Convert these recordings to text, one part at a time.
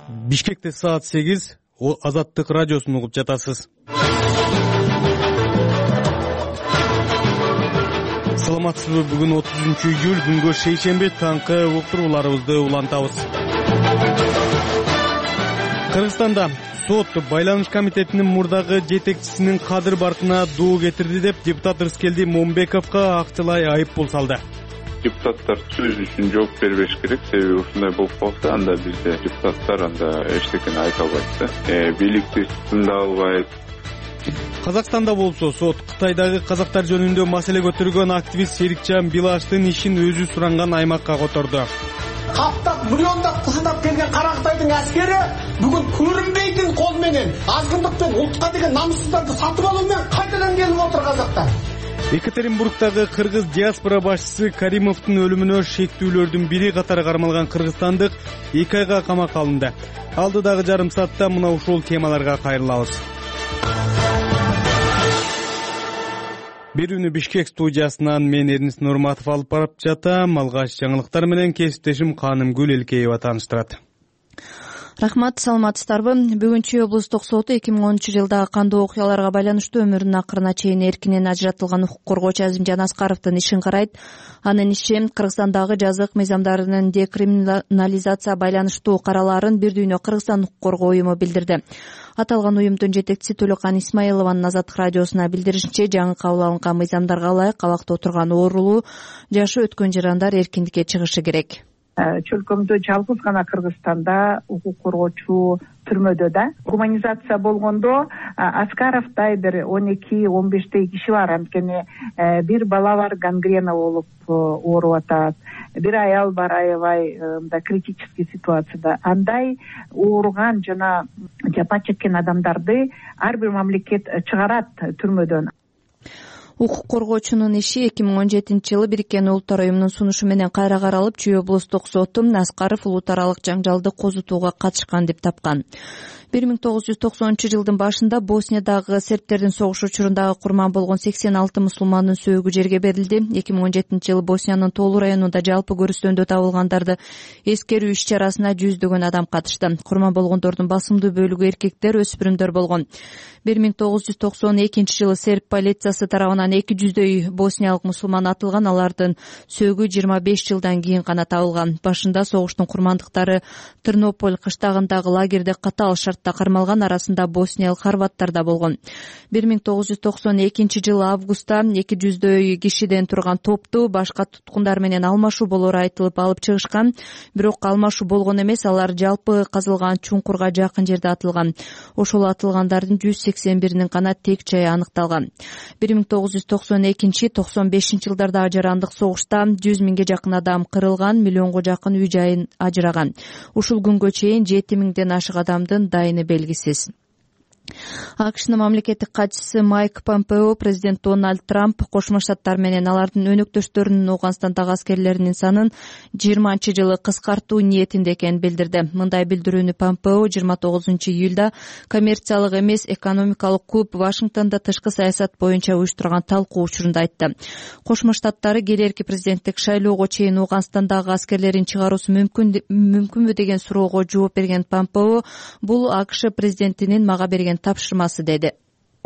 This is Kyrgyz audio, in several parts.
Бишкекте саат 8, Азаттык радиосун угуп жатасыз. Саламатсызбы? Бүгүн 30-июль, күнгө шейшемби, таңкы уктурууларыбызды улантабыз. Кыргызстанда сот байланыш комитетинин мурдагы жетекчисинин кадыр баркына доо кетирди деп депутат Рыскелди Момбековго акчалай айыппул салды. Депутаттар сөз үчүн жооп бербеш керек, себеби ушундай болуп калса, анда бизде депутаттар анда эчтекени айта албайт да, бийликти тыңдап албайт. Казакстанда болсо сот Кытайдагы казактар жөнүндө маселе көтөргөн активист Серикжан Билаштын ишин өзү суранган аймакка которду. Каптап, миллиондап кызынап келген Кара Кытайдын аскери бүгүн көрүнбейтин кол менен азгындыктын ултка деген намыссыздарды сатып алуу менен кайтадан келип отур казактар. Екатеринбургдагы кыргыз диаспора башчысы Каримовдун өлүмүнө шектүүлөрдүн бири катары кармалган кыргызстандык 2 айга камакка алынды. Алдыдагы жарым саатта мына ушул темаларга кайрылабыз. Берүүнү Бишкек студиясынан мен Эрнис Нурматов алып барып жатам. Алгач жаңылыктар менен кесиптешим Канымгүл Элкеева тааныштырат. Рахмат, саламатсыздарбы? Бүгүнчү облустук соту 2010-жылдагы кандуу окуяларга байланыштуу өмүрүнүн акырына чейин эркинен ажыратылган укук коргоочу Азимжан Аскаровдун ишин карайт. Анын иши Кыргызстандагы жазык мыйзамдарынын декриминализация байланыштуу каралаарын бир дүйнө Кыргызстан укук коргоо уюму билдирди. Аталган уюмдун жетекчиси Төлөкан Исмаилованын Азаттык радиосуна билдиришинче, жаңы кабыл алынган мыйзамдарга ылайык абакта отурган оорулуу жашы өткөн жарандар эркиндикке чыгышы керек. Чөлкөмдө жалгыз гана Кыргызстанда укук коргоочу түрмөдө да. Гуманизация болгондо Аскаровдай бир 12-15 киши бар. Анткени бир бала бар, гангрена болуп ооруп атат. Бир аял бар, аябай мындай критический ситуацияда. Андай ооруган жана жапа чеккен адамдарды ар бир мамлекет чыгарат түрмөдөн. Укук коргоочунун иши 2017-жылы Бириккен Улуттар уюмунун сунушу менен кайра каралып, Чүй облустук соту Аскаров улут аралык жаңжалды козутууга катышкан деп тапкан. 1990-жылдын башында Босниядагы сербтердин согуш учурундагы курман болгон 86 мусулмандын сөөгү жерге берилди. 2017-жылы Босниянын Толу районунда жалпы көрүстөндө табылгандарды эскерүү иш-чарасына жүздөгөн адам катышты. Курман болгондордун басымдуу бөлүгү эркектер, өспүрүмдөр болгон. 1992-жылы серб полициясы тарабынан 200дөй босниялык мусулман атылган, алардын сөөгү 25 жылдан кийин гана табылган. Башында согуштун курмандыктары Тернополь кыштагындагы лагерде катаал шартта кармалган, арасында босниялык хорваттар да болгон. 1992-жылы августта 200дөй кишиден турган топту башка туткундар менен алмашуу болору айтылып алып чыгышкан. Бирок алмашуу болгон эмес, алар жалпы казылган чуңкурга жакын жерде атылган. Ошол атылгандардын 181-нин гана тек жайы аныкталган. 1992-95 жылдарда ажарандык согушта 100 миңге жакын адам кырылган, миллионго жакын үй жайын ажыраган. Ушул күнгө чейин 7 миңден ашык адамдын дайыны белгисиз. АКШнын мамлекеттик катчысы Майк Помпео президент Дональд Трамп Кошмо Штаттар менен алардын өнөктөштөрүнүн Ооганстандагы аскерлеринин санын 20-жылы кыскартуу ниетинде экенин билдирди. Мындай билдирүүнү Помпео 29-июлда коммерциялык эмес экономикалык клуб Вашингтондо тышкы саясат боюнча уюштурган талкуу учурунда айтты. Кошмо Штаттары келерки президенттик шайлоого чейин Ооганстандагы аскерлерин чыгаруусу мүмкүнбү деген суроого жооп берген Помпео, бул АКШ президентинин мага берген тапшырмасы деди.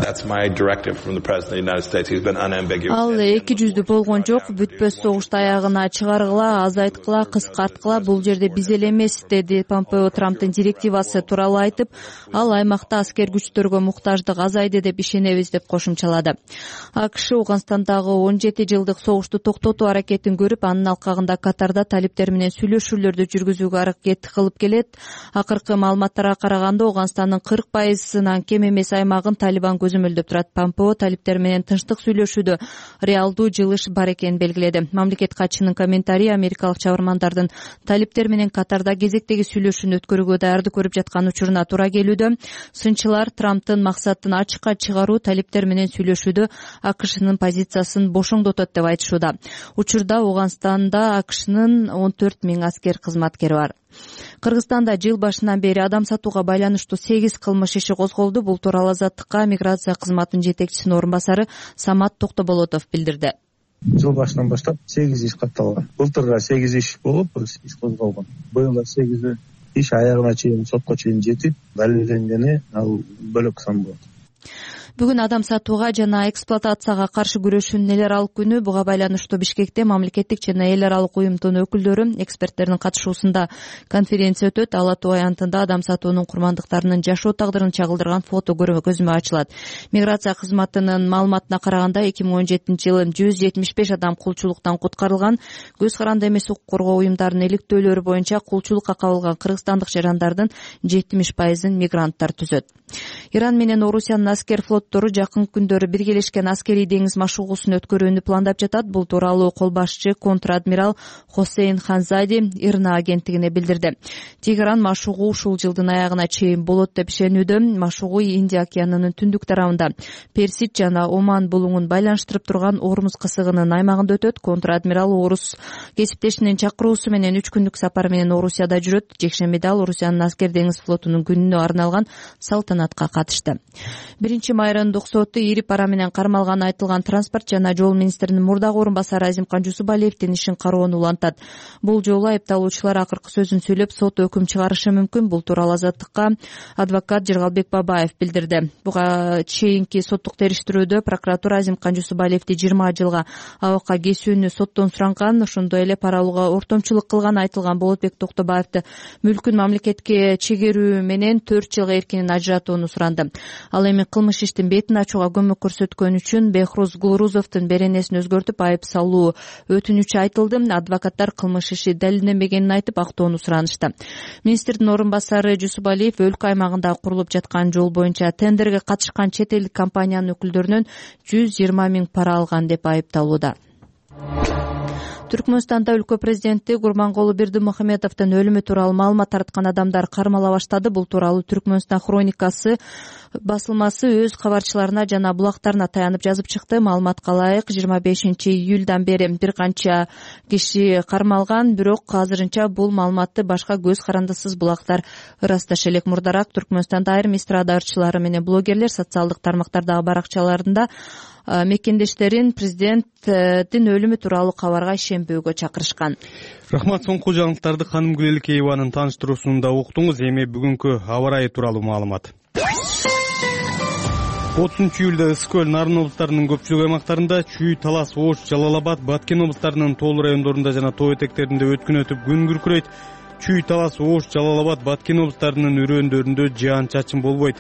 Ал 200 болгон жок, бүтпөс согушту аягына чыгаргыла, азайткыла, кыскарткыла, бул жерде биз эле эмес, деди Помпео. Трамптын директивасы тууралуу айтып, ал аймакта аскер күчтөргө муктаждык азайды деп ишенебиз деп кошумчалады. АКШ Ооганстандагы 17 жылдык согушту токтотуу аракетин көрүп, анын алкагында Катарда талиптер менен сүйлөшүүлөрдү жүргүзүүгө аракет кылып келет. Акыркы маалыматтарга караганда Ооганстандын 40%-нан кем эмес аймагын Талибан көзөмөлдөп турат. Помпео талиптер менен тынчтык сүйлөшүүдө реалдуу жылыш бар экенин белгиледи. Мамлекет катчынын комментарии америкалык чабармандардын талиптер менен Катарда кезектеги сүйлөшүүнү өткөрүүгө даярдык көрүп жаткан учуруна туура келүүдө. Сынчылар Трамптын максатын ачыкка чыгаруу, талиптер менен сүйлөшүүдө АКШнын позициясын бошоңдотот деп айтышууда. Учурда Ооганстанда АКШнын 14 миң аскер кызматкери бар. Кыргызстанда жыл башынан бери адам сатууга байланыштуу 8 кылмыш иши козголду. Бул тууралуу Азаттыкка миграция кызматынын жетекчисинин орун басары Самат Токтоболотов билдирди. Жыл башынан баштап 8 иш катталган. Былтырга 8 иш болуп, иш козголгон. Быйыл 8 иш аягына чейин, сотко чейин жетип далилденгени ал бөлөк сан болот. Бүгүн адам сатууга жана эксплуатацияга каршы күрөшүүнүн эл аралык күнү. Буга байланыштуу Бишкекте мамлекеттик жана эл аралык уюмдун өкүлдөрү, эксперттердин катышуусунда конференция өтөт. Ала Тоо аянтында адам сатуунун курмандыктарынын жашоо тагдырын чагылдырган фото көзүмө ачылат. Миграция кызматынын маалыматына караганда 2017-жылы 175 адам кулчулуктан куткарылган. Көз каранды эмес укук коргоо уюмдарынын иликтөөлөрү боюнча кулчулукка кабылган кыргызстандык жарандардын 70%-ын мигранттар түзөт. Иран менен Орусиянын аскер флоттору жакын күндөрү биргелешкен аскерий деңиз машыгуусун өткөрүүнү пландап жатат. Бул тууралуу кол башчы контр-адмирал Хосейн Ханзади ИРНА агенттигине билдирди. Тегеран машыгуу ушул жылдын аягына чейин болот деп ишенүүдө. Машыгуу Индия океанынын түндүк тарабында Персид жана Оман булуңун байланыштырып турган Ормуз кысыгынын аймагында өтөт. Контр-адмирал орус кесиптешинин чакыруусу менен 3 күндүк сапар менен Орусияда жүрөт. Жекшембиде ал Орусиянын аскер деңиз флотунун күнүнө арналган салтанатка катышты. 1 майрындык соту ири пара менен кармалганы айтылган транспорт жана жол министринин мурдагы орун басары Азимкан Жусупалиевдин ишин кароону улантат. Бул жолу айыпталуучулар акыркы сөзүн сөйлөп, сот өкүм чыгарышы мүмкүн. Бул тууралуу Азаттыкка адвокат Жыргалбек Бабаев билдирди. Буга чейинки соттук териштирүүдө прокуратура Азимкан Жусупалиевди 20 жылга абакка кесүүнү соттон суранган. Ошондой эле пара алууга ортомчулук кылганы айтылган Болотбек Токтобаевди мүлкүн мамлекетке чегерүү менен 4 жылга эркинен ажыратууну суранды. Ал эми кылмыш иштин бетин ачууга көмөк көрсөткөн үчүн Бехруз Гулрузовдун беренесин өзгөртүп айып салуу өтүнүчү айтылды. Адвокаттар кылмыш иши далилденбегенин айтып актоону суранышты. Министрдин орун басары Жусупалиев өлкө аймагында курулуп жаткан жол боюнча тендерге катышкан чет элдик компаниянын өкүлдөрүнөн 120 000 пара алган деп айыпталууда. Түркмөнстанда өлкө президенти Гурбангулы Бердимухамедовдун өлүмү тууралуу маалымат тараткан адамдар кармала баштады. Бул тууралуу Түркмөнстан хроникасы басылмасы өз кабарчыларына жана булактарына таянып жазып чыкты. Маалыматка ылайык 25-июлдан бери бир канча киши кармалган, бирок азырынча бул маалыматты башка көз карандысыз булактар ырасташы элек. Мурдараак Түркмөнстанда айрым эстрада ырчылары менен блогерлер социалдык тармактардагы баракчаларында мекендештерин президенттин өлүмү тууралуу кабарга ишенбөөгө чакырышкан. Рахмат. Соңку жаңылыктарды Ханым Гүлеликееванын тааныштыруусунда уктуңуз. Эми бүгүнкү аба ырайы тууралуу маалымат. 30-июлда Ысык көл, Нарын облустарынын көпчүлүк аймактарында, Чүй, Талас, Ош, Жалал-Абад, Баткен облустарынын тоолуу райондорунда жана тоо этектеринде өткүн өтүп күн күркүрөйт. Чүй, Талас, Ош, Жалал-Абад, Баткен облустарынын өрөөндөрүндө жаан-чачын болбойт.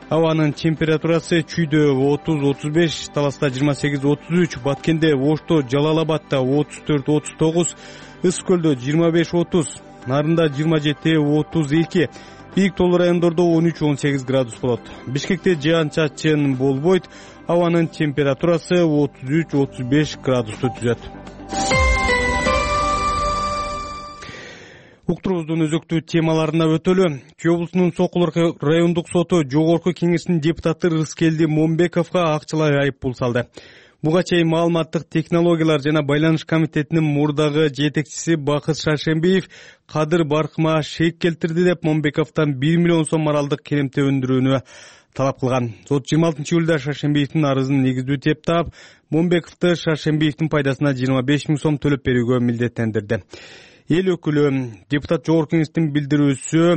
Абанын температурасы Чүйдө 30-35, Таласта 28-33, Баткенде, Ошто, Жалал-Абадда 34-39, Ысык көлдө 25-30, Нарында 27-32, бийик тоолуу райондордо 13-18 градус болот. Бишкекте жаан-чачын болбойт. Абанын температурасы 33-35 градусту түзөт. Уктурубуздун өзөктүү темаларына өтөлү. Чүй облусунун Сокулук райондук соту Жогорку кеңештин депутаты Рыскелди Момбековго акчалай айып пул салды. Буга чейин маалыматтык технологиялар жана байланыш комитетинин мурдагы жетекчиси Бакыт Шаршембиев кадыр баркыма шек келтирди деп Момбековдон 1 миллион сом моралдык керемте өндүрүүнү талап кылган. Сот 26-июлда Шаршембиевдин арызын негиздүү деп таап, Момбековду Шаршембиевдин пайдасына 25 000 сом төлөп берүүгө милдеттендирди. Эл өкүлү депутат Жогорку кеңештин билдирүүсү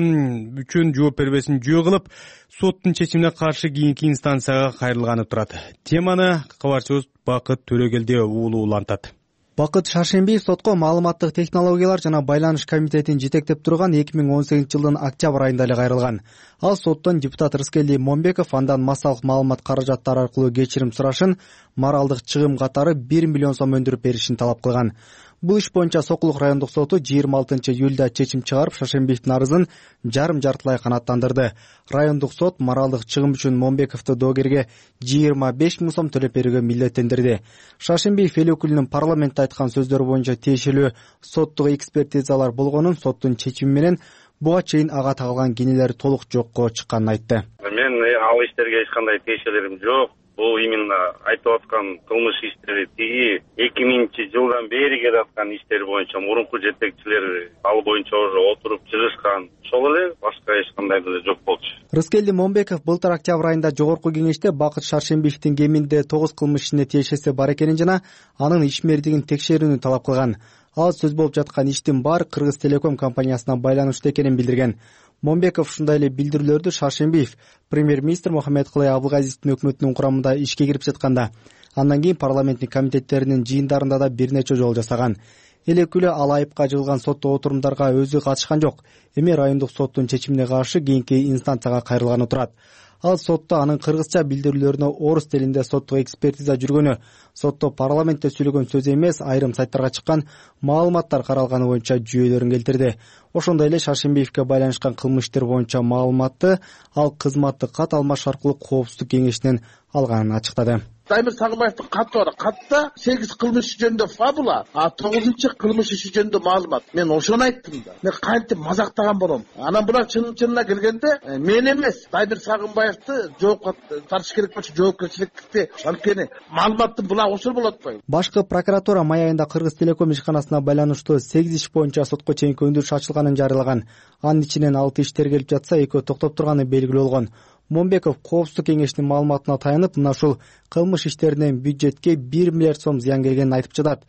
үчүн жооп бербесин жөө кылып, соттун чечимине каршы кийинки инстанцияга кайрылганы турат. Теманы кабарчыбыз Бакыт Төрөгелди уулу улантат. Бакыт Шаршембиев сотко маалыматтык технологиялар жана байланыш комитетин жетектеп турган 2018 жылдын октябрь айында эле кайрылган. Ал соттон депутат Рыскелди Момбеков андан массалык маалымат каражаттары аркылуу кечирим сурашын, моралдык чыгым катары 1 миллион сом өндүрүп беришин талап кылган. Бул иш боюнча Сокулук райондук соту 26-июлда чечим чыгарып, Шаршембиевдин арызын жарым-жартылай канааттандырды. Райондук сот моралдык чыгым үчүн Момбековду доогерге 25 000 сом төлөп берүүгө милдеттендирди. Шаршембиев эл өкүлүнүн парламентте айткан сөздөрү боюнча тиешелүү соттук экспертизалар болгонун, соттун чечими менен буга чейин ага тагылган кенелер толук жокко чыкканын айтты. Мен ал иштерге эч кандай тиешелерим жок. Бул именно айтып аткан кылмыш иштери тиги 2000-жылдан бери келе аткан иштер боюнча мурунку жетекчилер ал боюнча уже отуруп чыгышкан. Ошол эле, башка эч кандай деле жок болчу. Рыскелди Момбеков былтыр октябрь айында Жогорку кеңеште Бакыт Шаршембиевдин кеминде 9 кылмыш ишине тиешеси бар экенин жана анын ишмердигин текшерүүнү талап кылган. Ал сөз болуп жаткан иштин баары Кыргыз Телеком компаниясына байланыштуу экенин билдирген. Момбеков ушундай эле билдирүүлөрдү Шаршембиев премьер-министр Мухаммедкулай Абылгазиевдин өкмөтүнүн курамында ишке кирип жатканда, андан кийин парламенттик комитеттеринин жыйындарында да бир нече жолу жасаган. Элекүлө ал айыпка жыгылган сотто отурумдарга өзү катышкан жок. Эми райондук соттун чечимине каршы кийинки инстанцияга кайрылганы турат. Ал сотто анын кыргызча билдирүүлөрүнө орус тилинде соттук экспертиза жүргөнү, сотто парламентте сүйлөгөн сөз эмес, айрым сайттарга чыккан маалыматтар каралганы боюнча жүйөлөрүн келтирди. Ошондой эле Шаршембиевке байланышкан кылмыш иштер боюнча маалыматты ал кызматты кат алмаш аркылуу Коопсуздук кеңешинен алганын ачыктады. Даймир Сагынбаевдин каты бар. Катта 8 кылмыш иши жөнүндө фабула, 9 кылмыш иши жөнүндө маалымат. Мен ошону айттым да. Мен кантип мазактаган болом. Анан булар чынына келгенде мен эмес, Даймир Сагынбаевди жоопко тартыш керек болчу, жоопкерчиликти анткени маалыматтын булар ошол болот го. Башкы прокуратура май айында Кыргыз Телеком ишканасына байланыштуу 8 иш боюнча сотко чейинки өндүрүш ачылганын жарыялаган. Анын ичинен 6 иш тергелип жатса, 2 токтоп турганы белгилүү болгон. Момбеков Коопсуздук кеңешинин маалыматына таянып, мына ушул кылмыш иштеринен бюджетке 1 миллиард сом зыян келгенин айтып жатат.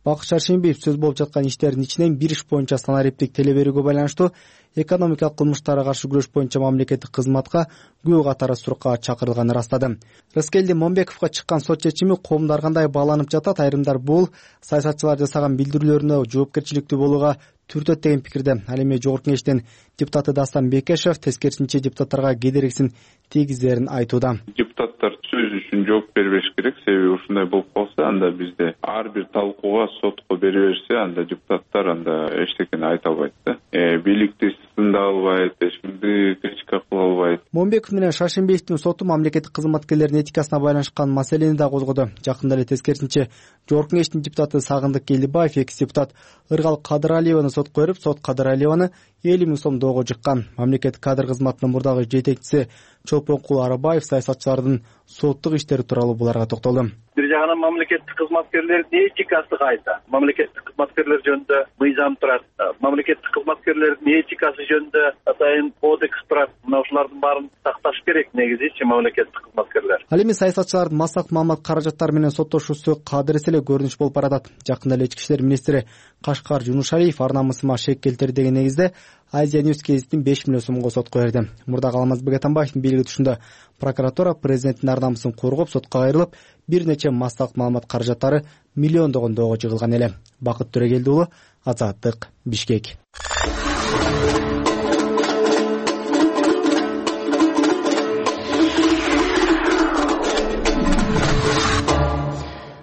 Бакыт Шаршембиев сөз болуп жаткан иштердин ичинен бир иш боюнча санариптик теле берүүгө байланыштуу экономикалык кылмыштарга каршы күрөш боюнча мамлекеттик кызматка күбө катары суракка чакырылганын ырастады. Рыскелди Момбековго чыккан сот чечими коомдор кандай бааланып жатат? Айрымдар бул саясатчылар жасаган билдирүүлөрүнө жоопкерчиликтүү болууга түртөт деген пикирде. Ал эми жогорку кеңештин депутаты Дастан Бекешев тескерисинче депутаттарга кедергисин тийгизерин айтууда. Депутаттар сөз үчүн жооп бербеш керек, себеби ушундай болуп калса, анда бизде ар бир талкууга сотко бере берсе, анда депутаттар анда эчтекени айта албайт да. Бийликти сындай албайт, эч кимди критика кыла албайт. Момбеков менен Шаршембиевдин соту мамлекеттик кызматкерлердин этикасына байланышкан маселени да козгоду. Жакында эле тескерисинче жогорку кеңештин депутаты Сагындык Келдибаев экс депутат Ыргал Кадыралиеваны сотко берип, сот Кадыралиеваны 50 000 сом доого жыккан. Мамлекеттик кадр кызматынын мурдагы жетекчиси Чолпонкул Арабаев саясатчылардын соттук иштери тууралуу буларга токтолду. Бир жагынан мамлекеттик кызматкерлердин этикасы кайда? Мамлекеттик кызматкерлер жөнүндө мыйзам турат. Мамлекеттик кызматкерлердин этикасы жөнүндө атайын кодекс турат. Мына ушулардын баарын сакташ керек негизичи мамлекеттик кызматкерлер. Ал эми саясатчылардын массак маалымат каражаттары менен соттошуусу кадыресе эле көрүнүш болуп баратат. Жакында эле ички иштер министри Кашкар Жунушалиев ар намысыма шек келтирди деген негизде Азия Ньюс гезитин 5 миллион сомго сотко берди. Мурдагы Алмазбек Атамбаевдин бийлиги түшүндө прокуратура президенттин ар намысын коргоп сотко кайрылып, бир нече массак маалымат каражаттары миллиондогон доого жыгылган эле. Бакыт Төрөгелди уулу, Азаттык, Бишкек.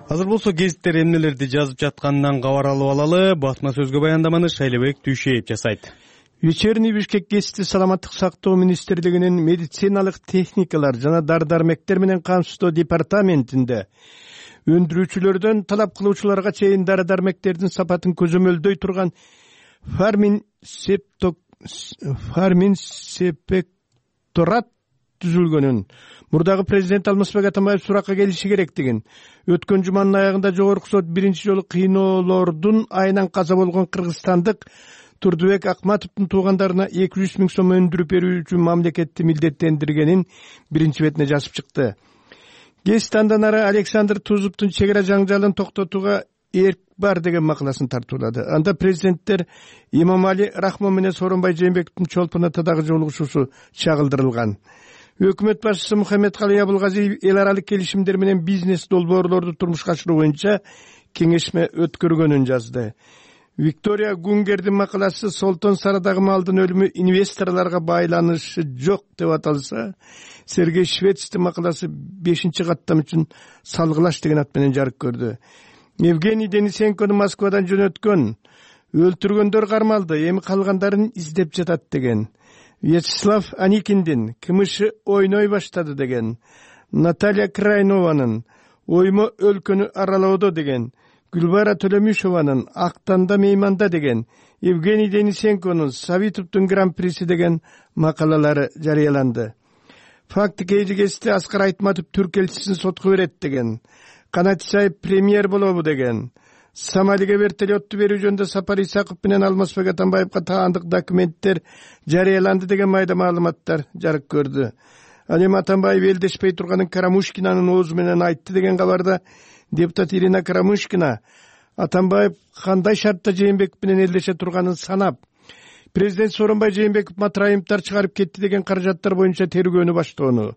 Азыр болсо гезиттер эмнелерди жазып жатканынан кабар алып алалы. Батма сөзгө баяндаманы Шайлебек Түйшеев жасайт. Вечерний Бишкек гезити саламаттык сактоо министрлигинин медициналык техникалар жана дары-дармектер менен камсыздоо департаментинде өндүрүүчүлөрдөн талап кылуучуларга чейин дары-дармектердин сапатын көзөмөлдөй турган фармин сепекторат түзүлгөнүн мурдагы президент Алмазбек Атамбаев суракка келиши керектигин, өткөн жуманын аягында жогорку сот биринчи жолу кыйноолордун айынан каза болгон кыргызстандык Турдубек Акматовдун туугандарына 200 000 сом өндүрүп берүү үчүн мамлекетти милдеттендиргенин биринчи бетине жазып чыкты. Гезит андан ары Александр Тузуптун чек ара жаңжалын токтотууга эрк бар деген макаласын тартуулады. Анда президенттер Имамали Рахмон менен Сооронбай Жээнбековдун Чолпон Атадагы жолугушуусу чагылдырылган. Өкмөт башчысы Мухаммедкалый Абылгазиев эл аралык келишимдер менен бизнес долбоорлорду турмушка ашыруу боюнча кеңешме өткөргөнүн жазды. Виктория Гунгердин макаласы Солтон Сарадагы малдын өлүмү инвесторлорго байланышы жок деп аталса, Сергей Швецтин макаласы 5-каттам үчүн салгылаш деген ат менен жарык көрдү. Евгений Денисенкону Москвадан жөнөткөн, өлтүргөндөр кармалды, эми калгандарын издеп жатат деген. Вячеслав Аникиндин КМШ ойной баштады деген. Наталья Крайнованын оймо өлкөнү аралоодо деген. Гүлбара Төлөмүшованын Актанда мейманда деген, Евгений Денисенконун Савитовдун гран-приси деген макалалары жарыяланды. Факты кейжи гезити Аскар Айтматов түрк элчисин сотко берет деген. Канат Исаев премьер болобу деген. Сомалиге вертолетту берүү жөнүндө Сапар Исаков менен Алмазбек Атамбаевга таандык документтер жарыяланды деген майда маалыматтар жарык көрдү. Ал эми Атамбаев элдешпей турганын Карамушкинанын оозу менен айтты деген кабарда депутат Ирина Карамушкина Атамбаев кандай шартта Жээнбеков менен элдеше турганын санап, президент Сооронбай Жээнбеков Матраимовдор чыгарып кетти деген каражаттар боюнча тергөөнү баштоону,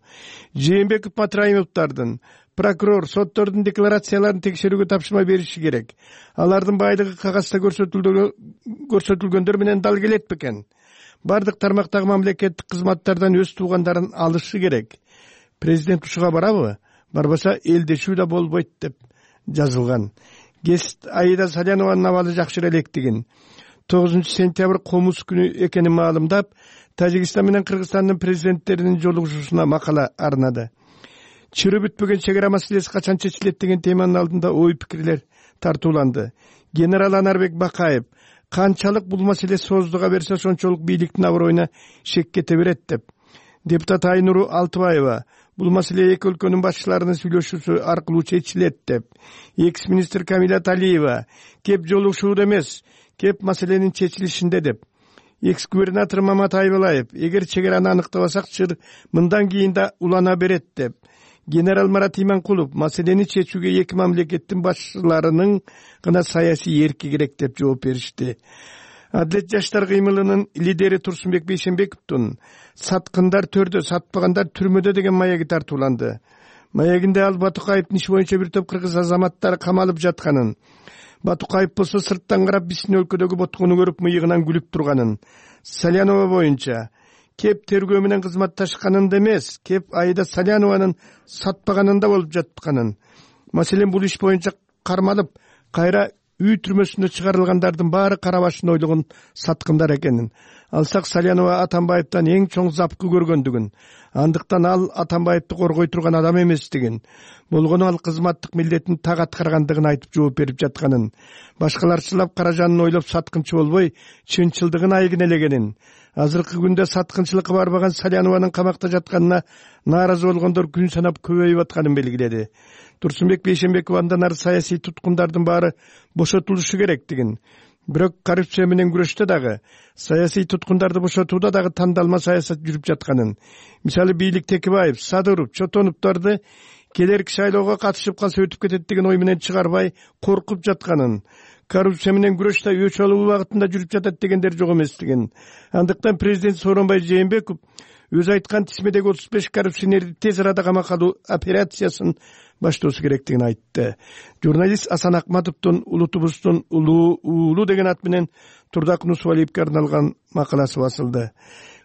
Жээнбеков Матраимовдордун прокурор соттордун декларацияларын текшерүүгө тапшырма бериши керек. Алардын байлыгы кагазда көрсөтүлгөндөр менен дал келет бекен? Бардык тармактагы мамлекеттик кызматтардан өз туугандарын алышы керек. Президент ушуга барабы? Барбаса элдешүү да болбойт деп жазылган. Гест Аида Салянованын абалы жакшыра электигин, 9-сентябрь комуз күнү экенин маалымдап, Тажикстан менен Кыргызстандын президенттеринин жолугушуусуна макала арнады. Чыры бүтпөгөн чек ара маселеси качан чечилет деген теманын алдында ой пикирлер тартууланды. Генерал Анарбек Бакаев канчалык бул маселе сооздуга берсе ошончолук бийликтин аброюна шек кете берет деп. Депутат Айнуру Алтыбаева бул маселе эки өлкөнүн башчыларынын сүйлөшүүсү аркылуу чечилет деп. Экс-министр Камилат Алиева кеп жолугушууда эмес, кеп маселенин чечилишинде деп. Экс-губернатор Мамат Айбалаев эгер чек араны аныктабасак чыр мындан кийин да улана берет деп. Генерал Марат Иманкулов маселени чечүүгө эки мамлекеттин башчыларынын гана саясий эрки керек деп жооп беришти. Адилет жаштар кыймылынын лидери Турсунбек Бейшенбековдун саткындар төрдө, сатпагандар түрмөдө деген маеги тартууланды. Маегинде ал Батукаевдин иши боюнча бир топ кыргыз азаматтары камалып жатканын, Батукаев болсо сырттан карап биздин өлкөдөгү боткону көрүп мыйыгынан күлүп турганын, Салянова боюнча кеп тергөө менен кызматташканында эмес, кеп Аида Салянованын сатпаганында болуп жатканын, маселен бул иш боюнча кармалып, кайра үй түрмөсүнө чыгарылгандардын баары кара башын ойлогон саткындар экенин, алсак Салянова Атамбаевден эң чоң запкы көргөндүгүн, андыктан ал Атамбаевди коргой турган адам эместигин, болгону ал кызматтык милдетин так аткаргандыгын айтып жооп берип жатканын, башкаларчылап каражанын ойлоп саткынчы болбой, чынчылдыгын айгин элегенин, азыркы күндө саткынчылыкка барбаган Салянованын камакта жатканына нааразы болгондор күн санап көбөйүп атканын белгиледи. Турсунбек Бейшенбеков андан ары саясий туткундардын баары бошотулушу керектигин, бирок коррупция менен күрөштө дагы, саясий туткундарды бошотууда дагы тандалма саясат жүрүп жатканын, мисалы бийлик Текебаев, Садыров, Чотоновдорду келерки шайлоого катышып калса өтүп кетет деген ой менен чыгарбай коркуп жатканын, коррупция менен күрөштө өч алуу убагытында жүрүп жатат дегендер жок эместигин. Андыктан президент Сооронбай Жээнбеков өз айткан тизмедеги 35 коррупционерди тез арада камакка алуу операциясын баштоосу керектигин айтты. Журналист Асан Акматовдун улутубуздун уулу деген ат менен Турдак Нусубалиевге арналган макаласы басылды.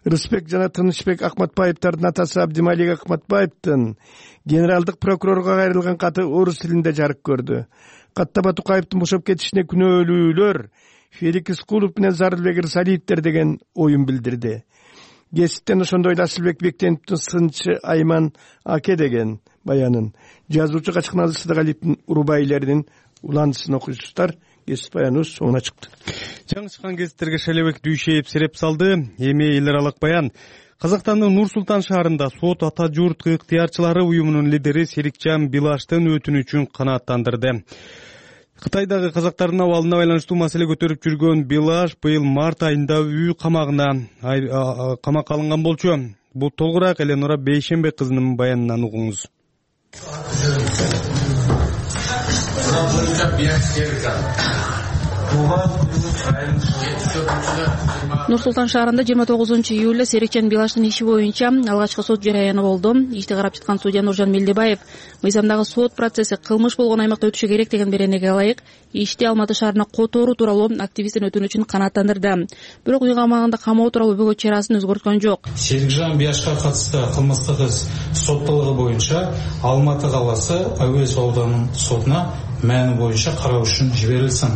Рыспек жана Тынычбек Акматбаевдардын атасы Абдималик Акматбаевдин генералдык прокурорго кайрылган каты орус тилинде жарык көрдү. Катта Батукаевдин бошоп кетишине күнөөлүүлөр Фелик Искулов менен Зарылбек Ырсалиевдер деген оюн билдирди. Геситтен ошондой эле Асылбек Бектеновдун сынчы Айман Аке деген баянын, жазуучу Качкыналы Сыдыгалиевдин урубайлеринин уландысын окуйсуздар. Гесит баяныбыз соңуна чыкты. Жаңы чыккан гезиттерге Шелебек Дүйшеев сереп салды. Эми эл аралык баян. Казакстандын Нур-Султан шаарында сот ата журт ыктыярчылары уюмунун лидери Серикжан Билаштын өтүнүчүн канааттандырды. Кытайдагы казактардын абалына байланыштуу маселе көтөрүп жүргөн Билаш быйыл март айында үй камагына камакка алынган болчу. Бул толугураак Эленора Бейшенбек кызынын баянынан угуңуз. Нур-Султан шаарында 29-июлда Серикжан Билаштын иши боюнча алгачкы сот жараяны болду. Ишти карап жаткан судья Нуржан Мелдебаев мыйзамдагы сот процесси кылмыш болгон аймакта өтүшү керек деген беренеге ылайык ишти Алматы шаарына которуу тууралуу активисттин өтүнүчүн канааттандырды. Бирок үй камагында камоо тууралуу бөгөт чарасын өзгөрткөн жок. Серикжан Билашка катысты кылмыштык иш соттолугу боюнча Алматы каласы Әуезов ауданынын сотуна мәні боюнча кароо үчүн жиберилсин.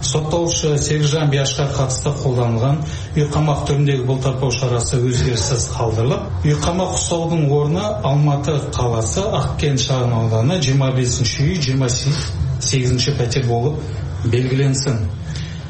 Соттолуучу Серикжан Билашка катысты колдонулган үй камак түрүндөгү бултартуу чарасы өзгөрүшсүз калтырылып, үй камак уктоодун орну Алматы каласы Аккен шаарынын ауданы 25-үй 28-патер болуп белгиленсин.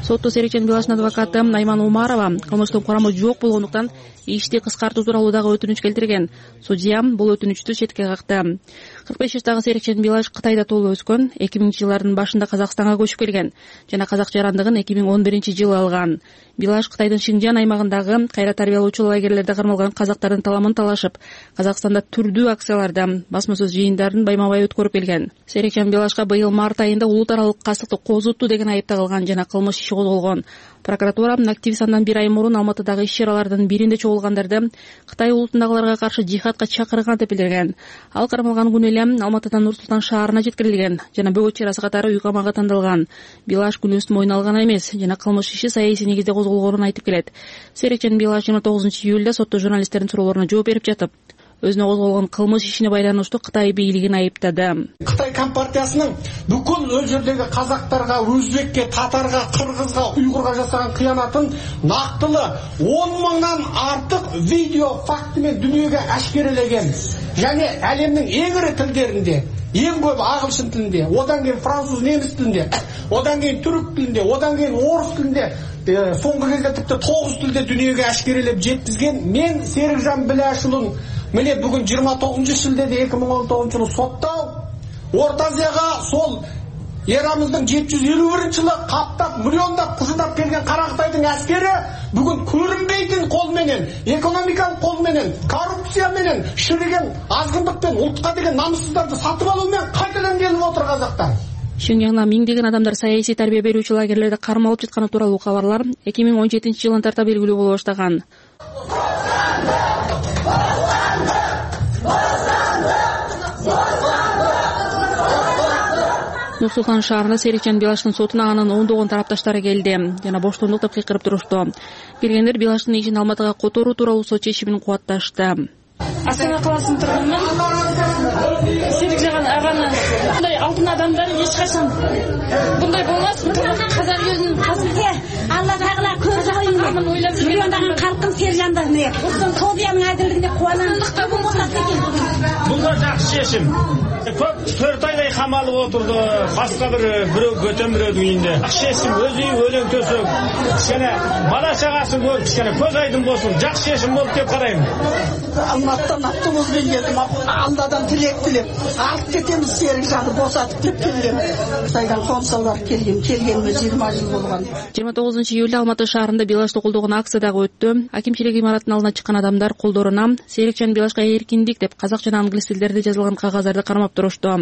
Сотто Серикжан Белаштын адвокаты Айман Умарова кылмыштын курамы жок болгондуктан ишти кыскартуу тууралуу дагы өтүнүч келтирген. Судья бул өтүнүчтү четке какты. 45 жаштагы Серикжан Белаш Кытайда туулуп өскөн, 2000-жылдардын башында Казакстанга көчүп келген жана казак жарандыгын 2011-жылы алган. Белаш Кытайдын Шинжан аймагындагы кайра тарбиялоочу лагерлерде кармалган казактардын таламын талашып, Казакстанда түрдүү акцияларда, басма сөз жыйындарын байма-бай өткөрүп келген. Серикжан Белашка быйыл март айында улут аралык кастыкты козутту деген айып тагылган жана кылмыш иши козголгон. Прокуратура активист андан 1 ай мурун Алматыдагы иш-чаралардын биринде чогулгандарды Кытай улутундагыларга каршы жихадка чакырган деп билдирген. Ал кармалган күнү эле Алматыдан Нур-Султан шаарына жеткирилген жана бөгөт чарасы катары үй камакка тандалган. Белаш күнөөсүн мойнуна алган эмес жана кылмыш иши саясий негизде козголгонун айтып келет. Серикжан Белаш 29-июлда сотто журналисттердин суроолоруна жооп берип жатып, өзүнө козголгон кылмыш ишине байланыштуу Кытай бийлигин айыптады. Кытай компартиясынын бүкүл өл жердеги казактарга, өзбекке, татарга, кыргызга, уйгурга жасаган кыянатын нактылы 10 мыңдан артык видео факты менен дүйнөгө ашкерелеген. Және әлемнің ең ірі тілдерінде, ең көп ағылшын тілінде, одан кейін француз, неміс тілінде, одан кейін түрік тілінде, одан кейін орыс тілінде, соңғы кезде тіпті 9 тілде дүниеге әшкерелеп жеткізген мен Серикжан Белашұлын міне бүгін 29 шілдеде 2019 жылы соттау, Орта Азияға сол Ерамыздың 751 жылы қаптап, миллиондап, құжындап келген Қарақытайдың әскері бүгін көрінбейтін қолменен, экономикалық қолменен, коррупцияменен, шіріген азғындықпен, ұлтқа деген намыссыздарды сатып алумен қайтадан келіп отыр қазақтар. Шинжаңда миңдеген адамдар саясий тарбия берүүчү лагерлерде кармалып жатканы тууралуу кабарлар 2017 жылын тарта белгилүү боло баштаган. Нур-Султан шаарында Серикжан Белаштын сотуна анын ондогон тарапташтары келди жана боштондук деп кыйкырып турушту. Келгендер Белаштын ишин Алматыга которуу тууралуу сот чечимин кубатташты. Астана каласынын тургунмун. Серикжан аганы мындай алтын адамдар эч качан мындай болмас. Казак өзүнүн казыгы Алла Тагала көз ойун ойлоп жүргөн калкын Серикжанды Тобиянын адилдигине кубанамдыкта Бул да жакшы чечим. Көп 4 айдай камалып отурду. Башка бирөө көтөмүрөдүн үйүндө. Жакшы чечим, өзү өлөң төсөк. Кичине бала чагасын көрүп, кичине көз айдын болсун. Жакшы чечим болуп деп карайм. Алматыдан автобуспен келдим, Алладан тилек тилеп, алып кетемиз Серикжанды босатып деп келгем. Кытайдан консулдар келгениме 20 жыл болгон. 29-июлда Алматы шаарында Белашты колдогон акция дагы өттү. Акимчилик имаратынын алдына чыккан адамдар колдоруна Серикжан Белашка эркиндик деп казак жана англис тилдерде жазылган кагаздарды кармап турушту.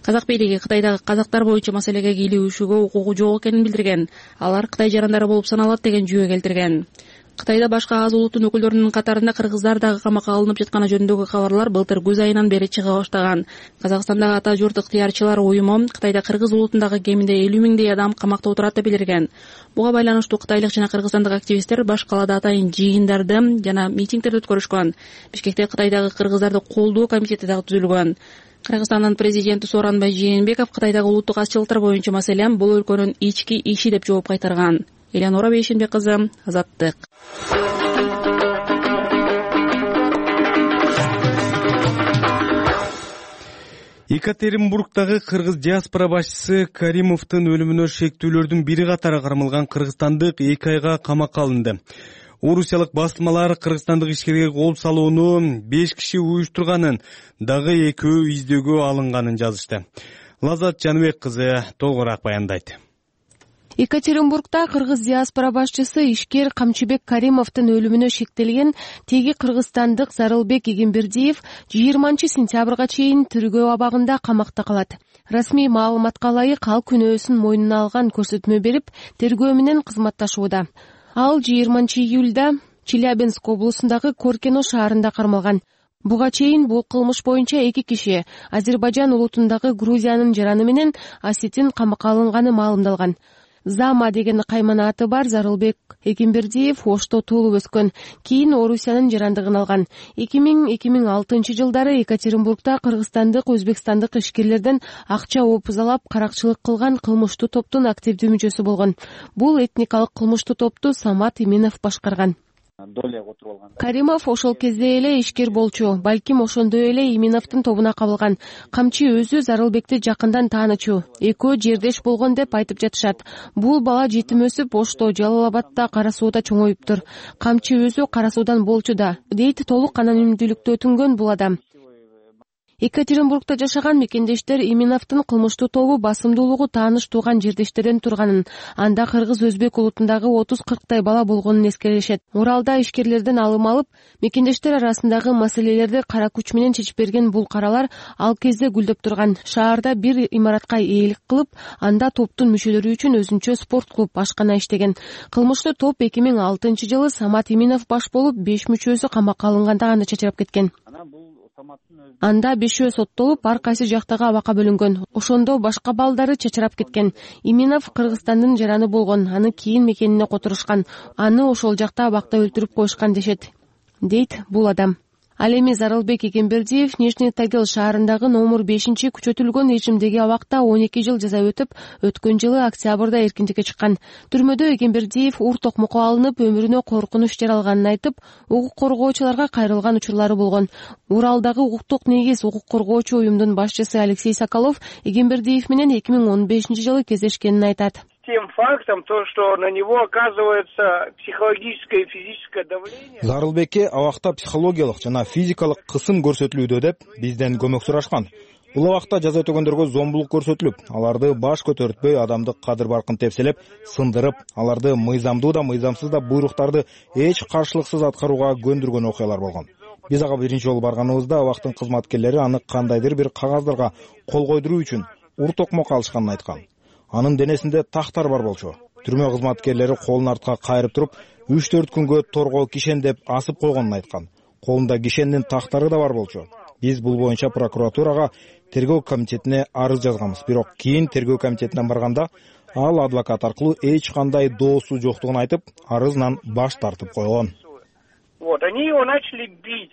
Казак бийлиги Кытайдагы казактар боюнча маселеге кийлигүүшүгө укугу жок экенин билдирген. Алар Кытай жарандары болуп саналат деген жүйө келтирген. Кытайда башка аз улуттун өкүлдөрүнүн катарында кыргыздар дагы камакка алынып жатканы жөнүндөгү кабарлар былтыр күз айынан бери чыга баштаган. Казакстандагы ата журт ыктыярчылар уюму Кытайда кыргыз улутундагы кеминде 50 миңдей адам камакта отурат деп билдирген. Буга байланыштуу кытайлык жана кыргызстандык активисттер баш калаада атайын жыйындарды жана митингдерди өткөрүшкөн. Бишкекте Кытайдагы кыргыздарды колдоо комитети дагы түзүлгөн. Кыргызстандын президенти Сооронбай Жээнбеков Кытайдагы улуттук азчылыктар боюнча маселе бул өлкөнүн ички иши деп жооп кайтарган. Элеонора Бейшенбек кызы, Азаттык. Екатеринбургдагы кыргыз диаспора башчысы Каримовдун өлүмүнө шектүүлөрдүн бири катары кармалган кыргызстандык 2 айга камакка алынды. Орусиялык басылмалар кыргызстандык ишкерге кол салууну 5 киши уюштурганын, дагы экөө издөөгө алынганын жазышты. Лазат Жаныбек кызы толугураак баяндайт. Екатеринбургда кыргыз диаспора башчысы ишкер Камчыбек Каримовдун өлүмүнө шектелген теги кыргызстандык Зарылбек Эгембердиев 20 сентябрга чейин тергөө абагында камакта калат. Расмий маалыматка ылайык ал күнөөсүн мойнуна алган көрсөтмө берип, тергөө менен кызматташууда. Ал 20 июлда Челябинск облусундагы Коркино шаарында кармалган. Буга чейин бул кылмыш боюнча 2 киши Азербайжан улутундагы Грузиянын жараны менен Осетин камакка алынганы маалымдалган. Зама деген каймана аты бар Зарылбек Эгембердиев Ошто туулуп өскөн. Кийин Орусиянын жарандыгын алган. 2000-2006 жылдары Екатеринбургда кыргызстандык, өзбекстандык ишкерлерден акча опузалап каракчылык кылган кылмыштуу топтун активдүү мүчөсү болгон. Бул этникалык кылмыштуу топту Самат Именов башкарган. долеге отуруп алган. Каримов ошол кезде эле ишкер болчу, балким ошондой эле Иминовдун тобуна кабылган. Камчы өзү Зарылбекти жакындан таанычу. Экөө жердеш болгон деп айтып жатышат. Бул бала жетим өсүп, Ошто, Жалал Абадда, Кара Сууда чоңоюптур. Камчы өзү Кара Суудан болчу да, дейт толук анонимдүүлүктө өтүнгөн бул адам. Екатеринбургда жашаган мекендештер Иминовдун кылмыштуу тобу басымдуулугу тааныш тууган жердештерден турганын, анда кыргыз-өзбек улутундагы 30-40 бала болгонун эскеришет. Уралда ишкерлерден алым алып, мекендештер арасындагы маселелерди кара күч менен чечип берген бул каралар ал кезде гүлдөп турган. Шаарда бир имаратка ээлик кылып, анда топтун мүчөлөрү үчүн өзүнчө спорт клуб, ашкана иштеген. Кылмыштуу топ 2006-жылы Самат Иминов баш болуп, 5 мүчөсү камакка алынганда гана чачырап кеткен. Анда 5 соттолуп, ар кайсы жактагы абакка бөлүнгөн. Ошондо башка балдары чачырап кеткен. Иминов Кыргызстандын жараны болгон, аны кийин мекенине которушкан. Аны ошол жакта абакта өлтүрүп коюшкан дешет, дейт бул адам. Ал эми Зарылбек Эгембердиев Нижний Тагил шаарындагы номер 5 күчөтүлгөн режимдеги абакта 12 жыл жаза өтүп, өткөн жылы октябрда эркиндикке чыккан. Түрмөдө Эгембердиев ур токмокко алынып, өмүрүнө коркунуч жаралганын айтып, укук коргоочуларга кайрылган учурлары болгон. Уралдагы укуктук негиз укук коргоочу уюмдун башчысы Алексей Соколов Эгембердиев менен 2015-жылы кездешкенин айтат. Тем фактом, то, что на него оказывается психологическое и физическое давление. Зарылбекке абакта психологиялык жана физикалык кысым көрсөтүлүүдө деп бизден көмөк сурашкан. Бул абакта жаза өтөгөндөргө зомбулук көрсөтүлүп, аларды баш көтөртпөй, адамдык кадыр баркын тепселеп, сындырып, аларды мыйзамдуу да, мыйзамсыз да буйруктарды эч каршылыксыз аткарууга көндүргөн окуялар болгон. Биз ага биринчи жолу барганыбызда абактын кызматкерлери аны кандайдыр бир кагаздарга кол койдуруу үчүн ур токмок алышканын айткан. Анын денесинде тактар бар болчу. Түрмө кызматкерлери колун артка кайрып туруп, 3-4 күнгө торго кишен деп асып койгонун айткан. Колунда кишендин тактары да бар болчу. Биз бул боюнча прокуратурага, тергөө комитетине арыз жазганбыз. Бирок кийин тергөө комитетине барганда ал адвокат аркылуу эч кандай доосу жоктугун айтып, арызынан баш тартып койгон. Вот, они его начали бить.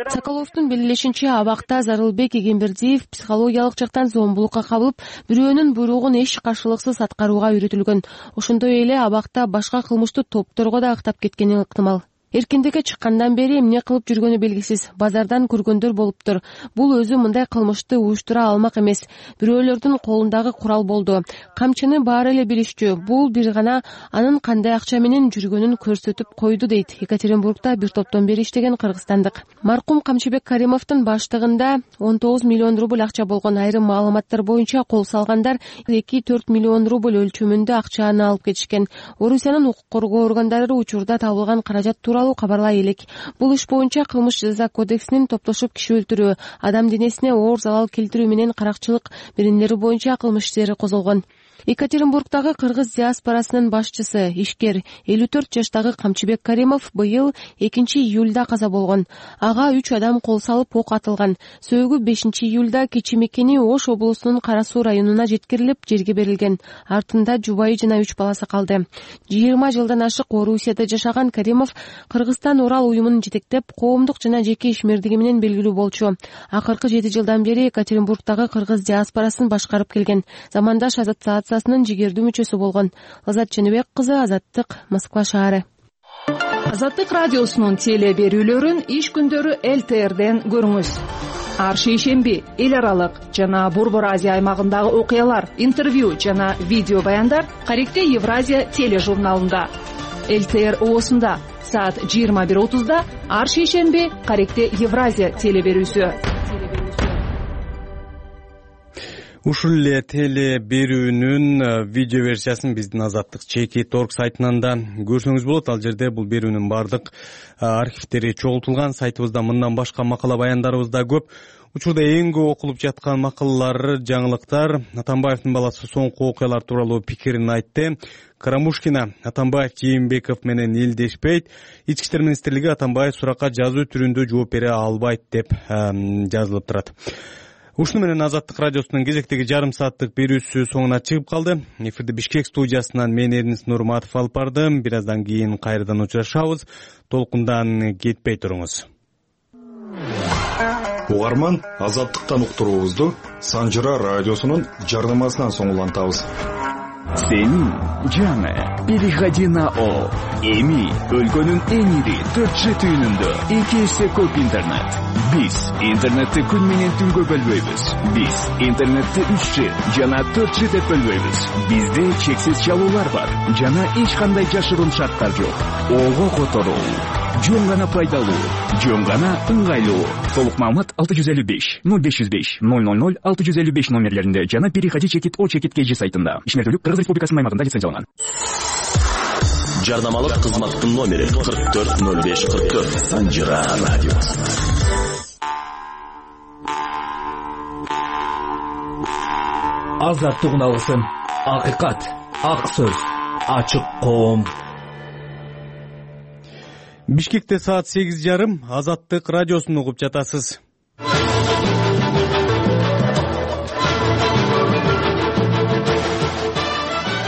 Соколовдун белгилешинче, абакта Зарылбек Эгембердиев психологиялык жактан зомбулукка кабылып, бирөөнүн буйругун эч каршылыксыз аткарууга үйрөтүлгөн. Ошондой эле абакта башка кылмыштуу топторго да ыктап кеткени ыктымал. Эркиндикке чыккандан бери эмне кылып жүргөнү белгисиз. Базардан көргөндөр болуптур. Бул өзү мындай кылмышты уюштура алмак эмес. Бирөөлөрдүн колундагы курал болду. Камчыны баары эле билишчү. Бул бир гана анын кандай акча менен жүргөнүн көрсөтүп койду, дейт Екатеринбургда бир топтон бери иштеген кыргызстандык. Маркум Камчыбек Каримовдун баштыгында 19 миллион рубль акча болгон. Айрым маалыматтар боюнча кол салгандар 2-4 миллион рубль өлчөмүндө акчаны алып кетишкен. Орусиянын укук коргоо органдары учурда табылган каражат тууралуу кабарлай элек. Бул иш боюнча кылмыш жаза кодексинин топтошуп киши өлтүрүү, адам денесине оор залал келтирүү менен каракчылык берендери боюнча кылмыш иштери козголгон. Екатеринбургдагы кыргыз диаспорасынын башчысы, ишкер 54 жаштагы Камчыбек Каримов быйыл 2-июлда каза болгон. Ага 3 адам кол салып ок атылган. Сөөгү 5-июлда кечи мекени Ош облусунун Кара Суу районуна жеткирилип, жерге берилген. Артында жубайы жана 3 баласы калды. 20 жылдан ашык Орусияда жашаган Каримов Кыргызстан Урал уюмун жетектеп, коомдук жана жеке ишмердиги менен белгилүү болчу. Акыркы 7 жылдан бери Екатеринбургдагы кыргыз диаспорасын башкарып келген. Замандаш ассоциациясынын жигердүү мүчөсү болгон. Азат Чыныбек кызы, Азаттык, Москва шаары. Азаттык радиосунун теле берүүлөрүн иш күндөрү ЛТРден көрүңүз. Ар шейшемби эл аралык жана Борбор Азия аймагындагы окуялар, интервью жана видео баяндар Каректе Евразия тележурналында. ЛТР оосунда саат 21:30 ар шейшемби Каректе Евразия теле берүүсү. Ушул эле теле берүүнүн видео версиясын биздин Азаттык Чеки.org сайтынан да көрсөңүз болот. Ал жерде бул берүүнүн бардык архивдери чогултулган. Сайтыбызда мындан башка макала баяндарыбыз да көп. Учурда эң көп окулуп жаткан макалалар, жаңылыктар. Атамбаевдин баласы соңку окуялар тууралуу пикирин айтты. Карамушкина Атамбаев Жээнбеков менен элдешпейт. Ички иштер министрлиги Атамбаев суракка жазуу түрүндө жооп бере албайт деп жазылып турат. Ушуну менен Азаттык радиосунун кезектеги жарым сааттык берүүсү соңуна чыгып калды. Эфирди Бишкек студиясынан мен Эрнис Нурматов алып бардым. Бир аздан кийин кайрадан учурашабыз. Толкундан кетпей туруңуз. Угарман, Азаттыктан уктуруубузду Санжыра радиосунун жардамасынан соң улантабыз. Сенин жаңы переходи на О. Эми өлкөнүн эң ири 4G түйүнүндө 2 эсе көп интернет. Биз интернетти күн менен түнгө бөлбөйбүз. Биз интернетти 3G жана 4G деп бөлбөйбүз. Бизде чексиз чалуулар бар жана эч кандай жашыруун шарттар жок. Ого которуу жөн гана пайдалуу, жөн гана ыңгайлуу. Толук маалымат 655 0505 000 655 номерлеринде жана переходи чекит О чекит KG сайтында. Ишмердүүлүк Кыргыз Республикасынын аймагында лицензияланган. Жарнамалык кызматтын номери 440544 Санжира радиосу. Азаттык алсын. Акыйкат, ак сөз, ачык коом. Бишкекте саат 8:30 Азаттык радиосун угуп жатасыз.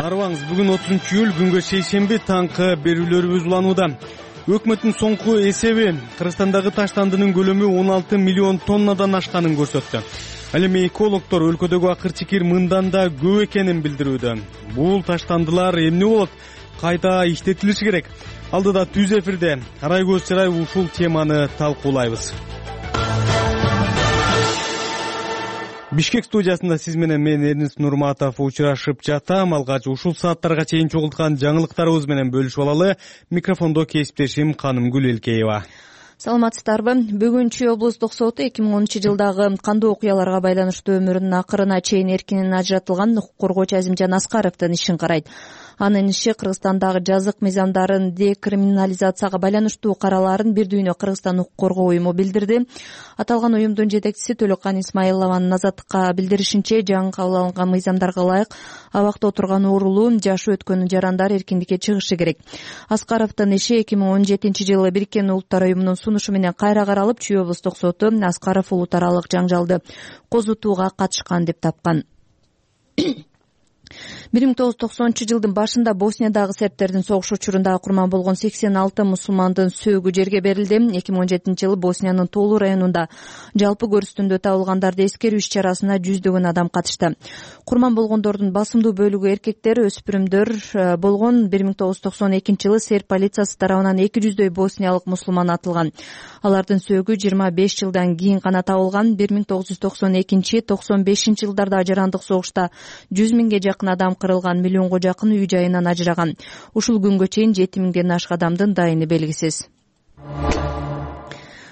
Арыбаңыз, бүгүн 30-июль, күнгө шейшемби, таңкы берүүлөрүбүз уланууда. Өкмөттүн соңку эсеби Кыргызстандагы таштандынын көлөмү 16 миллион тоннадан ашканын көрсөттү. Ал эми экологдор өлкөдөгү акыр-чикир мындан да көп экенин билдирүүдө. Бул таштандылар эмне болот? Кайта иштетилиши керек. Алдыда түз эфирде арай көз чырай ушул теманы талкуулайбыз. Бишкек студиясында сиз менен мен Эрнис Нурматов учурашып жатам. Алгач ушул сааттарга чейин чогулткан жаңылыктарыбыз менен бөлүшүп алалы. Микрофондо кесиптешим Канымгүл Элкеева. Саламатсыздарбы? Бүгүн Чүй облустук соту 2010-жылдагы кандуу окуяларга байланыштуу өмүрүнүн акырына чейин эркинен ажыратылган укук коргоочу Азимжан Аскаровдун ишин карайт. Анын иши Кыргызстандагы жазык мыйзамдарын декриминализацияга байланыштуу каралаарын бир дүйнө Кыргызстан укук коргоо уюму билдирди. Аталган уюмдун жетекчиси Төлөккан Исмаилованын Азаттыкка билдиришинче, жаңы кабыл алынган мыйзамдарга ылайык абакта отурган уурулуу, жашы өткөн жарандар эркиндикке чыгышы керек. Аскаровдун иши 2017-жылы Бириккен Улуттар уюмунун сунушу менен кайра каралып, Чүй облустук соту Аскаров улут аралык жаңжалды козутууга катышкан деп тапкан. 1990-жылдын башында Босниядагы сербтердин согуш учурунда курман болгон 86 мусулмандын сөөгү жерге берилди. 2017-жылы Босниянын Толу районунда жалпы көрүстүндө табылгандарды эскерүү иш-чарасына жүздөгөн адам катышты. Курман болгондордун басымдуу бөлүгү эркектер, өспүрүмдөр болгон. 1992-жылы серб полициясы тарабынан 200дөй босниялык мусулман атылган. Алардын сөөгү 25 жылдан кийин гана табылган. 1992-95 жылдарда ажырандык согушта 100 миңге жакын адам кырылган, миллионго жакын үй жайынан ажыраган. Ушул күнгө чейин 7 миңден ашык адамдын дайыны белгисиз.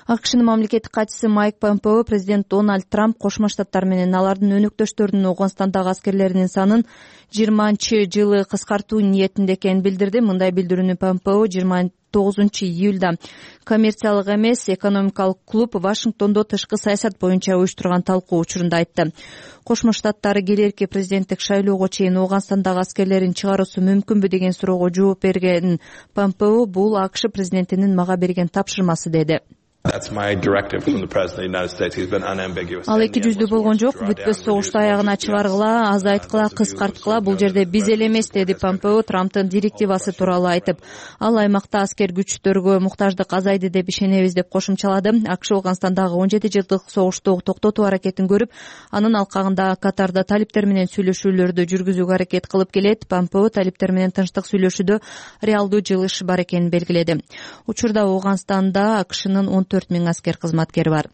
АКШнын мамлекеттик катчысы Майк Помпео президент Дональд Трамп Кошмо Штаттар менен алардын өнөктөштөрүнүн Ауганстандагы аскерлеринин санын 20-жылы кыскартуу ниетинде экенин билдирди. Мындай билдирүүнү Помпео 29-июлда коммерциялык эмес экономикалык клуб Вашингтондо тышкы саясат боюнча уюштурган талкуу учурунда айтты. Кошмо Штаттары келерки президенттик шайлоого чейин Ауганстандагы аскерлерин чыгаруусу мүмкүнбү деген суроого жооп берген Помпео бул АКШ президентинин мага берген тапшырмасы деди. Ал 200 болгон жок, бүтпөс согушту аягына чыгаргыла, азайткыла, кыскарткыла, бул жерде биз эле эмес, деди Помпео Трамптын директивасы тууралуу айтып. Ал аймакта аскер күчтөргө муктаждык азайды деп ишенебиз деп кошумчалады. АКШ Ауганстандагы 17 жылдык согушту токтотуу аракетин көрүп, анын алкагында Катарда талиптер менен сүйлөшүүлөрдү жүргүзүүгө аракет кылып келет. Помпео талиптер менен тынчтык сүйлөшүүдө реалдуу жылыш бар экенин белгиледи. Учурда Ауганстанда АКШнын 14 миң аскер кызматкери бар.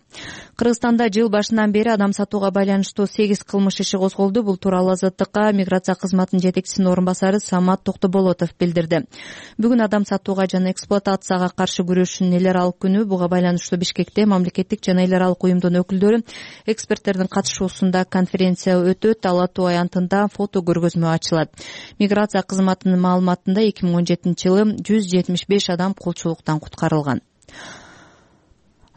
Кыргызстанда жыл башынан бери адам сатууга байланыштуу 8 кылмыш иши козголду. Бул тууралуу Азаттыкка миграция кызматынын жетекчисинин орун басары Самат Токтоболотов билдирди. Бүгүн адам сатууга жана эксплуатацияга каршы күрөшүүнүн эл аралык күнү. Буга байланыштуу Бишкекте мамлекеттик жана эл аралык уюмдун өкүлдөрү, эксперттердин катышуусунда конференция өтөт. Ала Тоо аянтында фото көргөзмө ачылат. Миграция кызматынын маалыматында 2017-жылы 175 адам кулчулуктан куткарылган.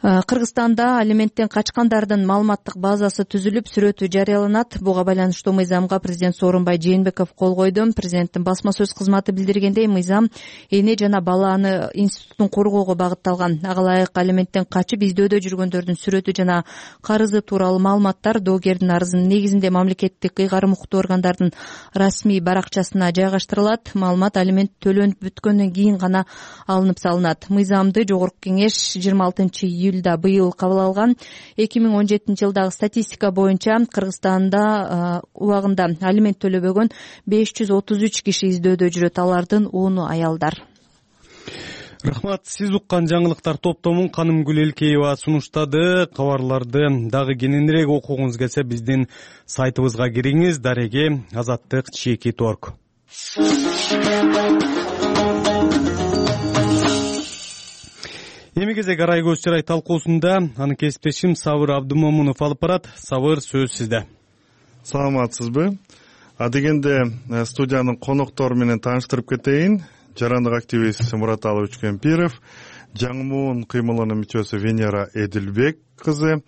Кыргызстанда алименттен качкандардын маалыматтык базасы түзүлүп, сүрөтү жарыяланат. Буга байланыштуу мыйзамга президент Сооронбай Жээнбеков кол койду. Президенттин басма сөз кызматы билдиргендей, мыйзам эне жана баланы институтун коргоого багытталган. Ага ылайык алименттен качып издөөдө жүргөндөрдүн сүрөтү жана карызы тууралуу маалыматтар доогердин арызынын негизинде мамлекеттик ыйгарым укуктуу органдардын расмий баракчасына жайгаштырылат. Маалымат алимент төлөнүп бүткөндөн кийин гана алынып салынат. Мыйзамды Жогорку Кеңеш 26-июль июлда быйыл кабыл алган 2017-жылдагы статистика боюнча Кыргызстанда убагында алимент төлөбөгөн 533 киши издөөдө жүрөт. Алардын 10-у аялдар. Рахмат. Сиз уккан жаңылыктар топтомун Канымгүл Элкеева сунуштады. Кабарларды дагы кененирээк окугуңуз келсе биздин сайтыбызга кириңиз. Дареге Азаттык @org. Эми кезек арай көз чырай талкуусунда анын кесиптешим Сабыр Абдымомунов алып барат. Сабыр, сөз сизде. Саламатсызбы? Адегенде студиянын коноктору менен тааныштырып кетейин. Жарандык активист Мураталы Учкемпиров, Жаңмуун кыймылынын мүчөсү Венера Эдилбек кызы,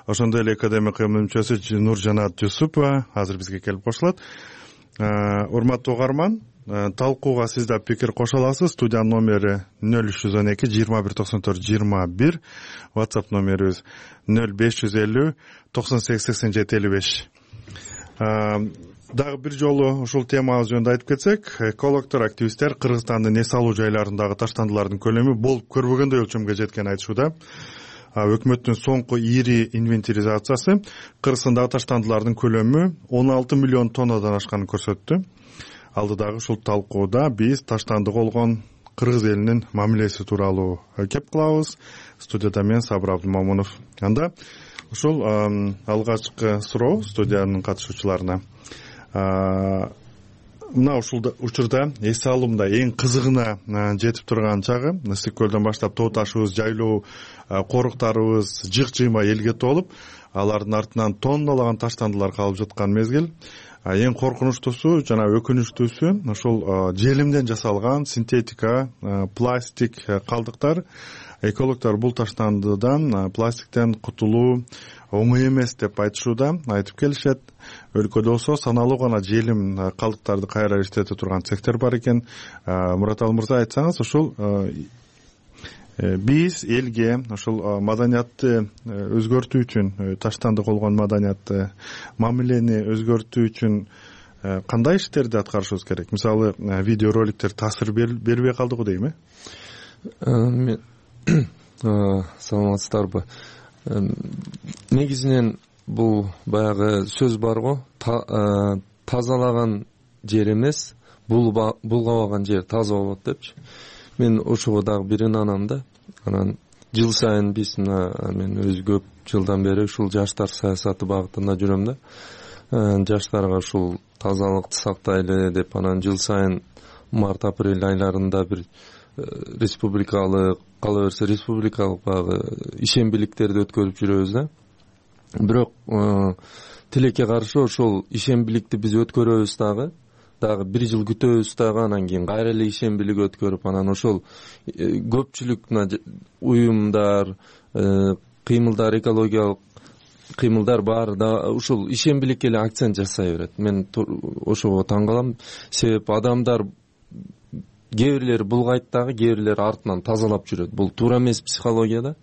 ошондой эле академия кыймылынын мүчөсү Нуржанат Жусупова азыр бизге келип кошулат. Урматтуу угарман, талкууга сиз да пикир кошо аласыз. Студиянын номери 0312 2194 21, WhatsApp номерибиз 0550 98 87 55. Дагы бир жолу ушул темабыз жөнүндө айтып кетсек, экологдор, активисттер Кыргызстандын эс алуу жайларындагы таштандылардын көлөмү болуп көрбөгөндөй өлчөмгө жеткенин айтышууда. Өкмөттүн соңку ири инвентаризациясы Кыргызстандагы таштандылардын көлөмү 16 миллион тоннадан ашканын көрсөттү. Алдыдагы ушул талкууда биз таштанды болгон кыргыз элинин мамилеси тууралуу кеп кылабыз. Студияда мен Сабыр Абдымомунов. Анда ушул алгачкы суроо студиянын катышуучуларына. Мына ушул учурда эс алуумда эң кызыгына жетип турган чагы, Ысык көлдөн баштап тоо ташыбыз, жайлоо коруктарыбыз жык-жыйма элге толуп, алардын артынан тонналаган таштандылар калып жаткан мезгил. Эң коркунучтуусу жана өкүнүчтүүсү ушул желимден жасалган синтетика, пластик калдыктар. Экологдор бул таштандыдан, пластиктен кутулуу оңой эмес деп айтышууда, айтып келишет. Өлкөдө болсо саналуу гана желим калдыктарды кайра иштете турган цехтер бар экен. Мураталы мырза, айтсаңыз, ушул биз элге ушул маданиятты өзгөртүү үчүн, таштанды болгон маданиятты, мамилени өзгөртүү үчүн кандай иштерди аткарышыбыз керек? Мисалы, видеороликтер таасир бербей калдыгы дейм, Саламатсыздарбы? Негизинен бул баягы сөз бар го, тазалаган жер эмес, булгабаган жер таза болот депчи. Мен ошого дагы бир ынанам да. Анан жыл сайын биз мен өз көп жылдан бери ушул жаштар саясаты багытында жүрөм да. Жаштарга ушул тазалыкты сактайлы деп анан жыл сайын март-апрель айларында бир республикалык, кала берсе республикалык багы ишембиликтерди өткөрүп жүрөбүз да. Бирок тилекке каршы ошол ишембиликти биз өткөрөбүз дагы бир жыл күтөбүз дагы, анан кийин кайра эле ишембилик өткөрүп, анан ошол көпчүлүк уюмдар, кыймылдар, экологиялык кыймылдар баары да ушул ишембиликке эле акцент жасай берет. Мен ошого таң калам. Себеп адамдар кээ бирлери булгайт дагы, кээ бирлери артынан тазалап жүрөт. Бул туура эмес психологияда.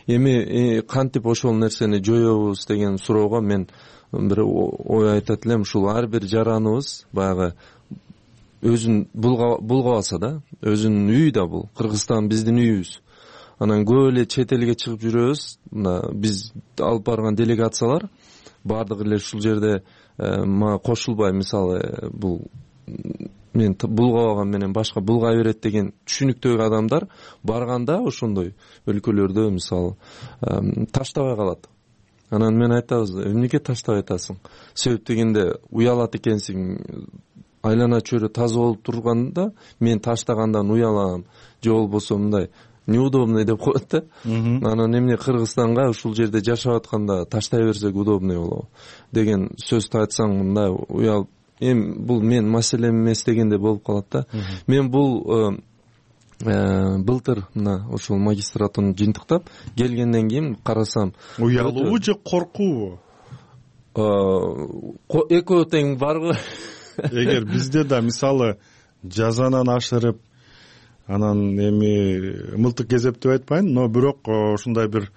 Эми кантип ошол нерсени жоёбуз деген суроого мен бир ой айтат элем. Ушул ар бир жараныбыз баягы өзүн булгабаса да, өзүнүн үйү да бул. Кыргызстан биздин үйүбүз. Анан көп эле чет элге чыгып жүрөбүз. Мына биз алып барган делегациялар бардыгы эле ушул жерде мага кошулбай, мисалы, бул мен булгабаган менен башка булгай берет деген түшүнүктөгү адамдар барганда ошондой өлкөлөрдө мисалы таштабай калат. Анан мен айтабыз, эмнеге таштабай атасың? Себеп дегенде уялат экенсиң, айлана чөйрө таза болуп турганда мен таштагандан уялам, же болбосо мындай неудобный деп коет да. Анан эмне Кыргызстанга ушул жерде жашап атканда таштай берсек удобный болобу деген сөздү айтсаң мындай уялып, бул мен маселем эмес дегенде болуп калат да. Мен бул былтыр мына ошол магистратураны жыйынтыктап келгенден кийин карасам, уялуу же коркуубу? Экөө тең барбы? Эгер бизде да мисалы жазанан ашырып, анан эми мылтык кезеп деп айтпайын, но бирок ушундай бир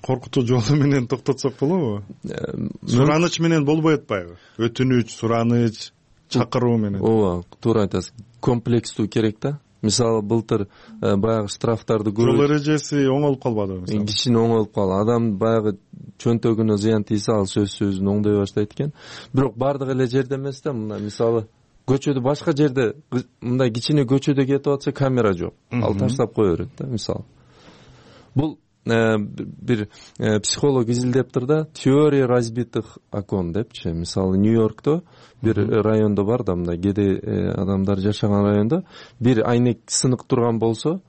коркутуу жолу менен токтотсок болобу? Сураныч менен болбой атпайбы? Өтүнүч, сураныч, чакыруу менен. Ооба, туура айтасың. Комплекстүү керек да. мисалы былтыр баягы штрафтарды көрүп жол эрежеси оңолуп калбадыбы? Кичине оңолуп калды. Адам баягы чөнтөгүнө зыян тийсе, ал сөзсүз оңдой баштайт экен. Бирок бардык эле жерде эмес да. Мына мисалы көчөдө, башка жерде мындай кичине көчөдө кетип атса камера жок. Ал таштап кое берет да, мисалы. Бул бир психолог изилдептир да, теория разбитых окон депчи. Мисалы Нью-Йоркто бир райондо бар да, мындай кедей адамдар жашаган райондо бир айнек сынык турган болсо,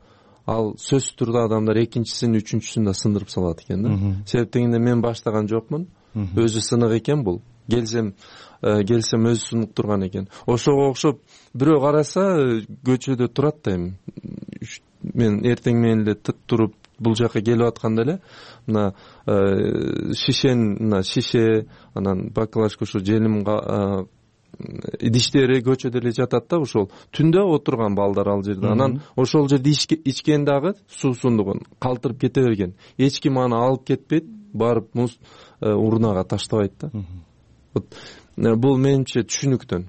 ал сөзсүз түрдө адамдар экинчисин, үчүнчүсүн да сындырып салат экен да. Себеп дегенде мен баштаган жокмун. Өзү сынык экен бул. Келсем өзү сынык турган экен. Ошого окшоп бирөө караса көчөдө турат да эми. Мен эртең менен эле туруп бул жака келип атканда эле мына шише, анан баклажка, ушу желим идиштери көчөдө эле жатат да. Ошол түндө отурган балдар ал жерде. Анан ошол жерде ичкен дагы суусундугун калтырып кете берген. Эч ким аны алып кетпейт, барып муз урнага таштабайт да. Бул менимче түшүнүктөн.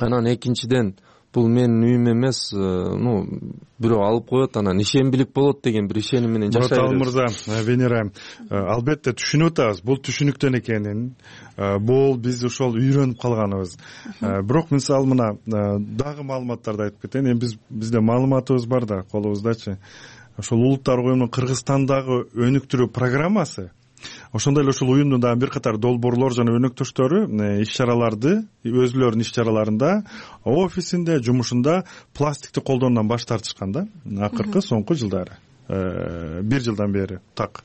Анан экинчиден, бул менин үйүм эмес, бирөө алып коет, анан ишенбилик болот деген бир ишеним менен жашай беребиз. Мурза, Венера, албетте түшүнүп атабыз, бул түшүнүктөн экенин. Бул биз ошол үйрөнүп калганыбыз. Бирок мисалы мына дагы маалыматтарды айтып кетейин. Эми бизде маалыматыбыз бар да, колубуздачы. Ошол Улуттар уюмунун Кыргызстандагы өнүктүрүү программасы, ошондой эле ушул уюмдун дагы бир катар долбоорлор жана өнөктөштөрү иш-чараларды, өзүлөрүнүн иш-чараларында, офисинде, жумушунда пластикти колдонуудан баш тартышкан да, акыркы соңку жылдары. 1 жылдан бери так.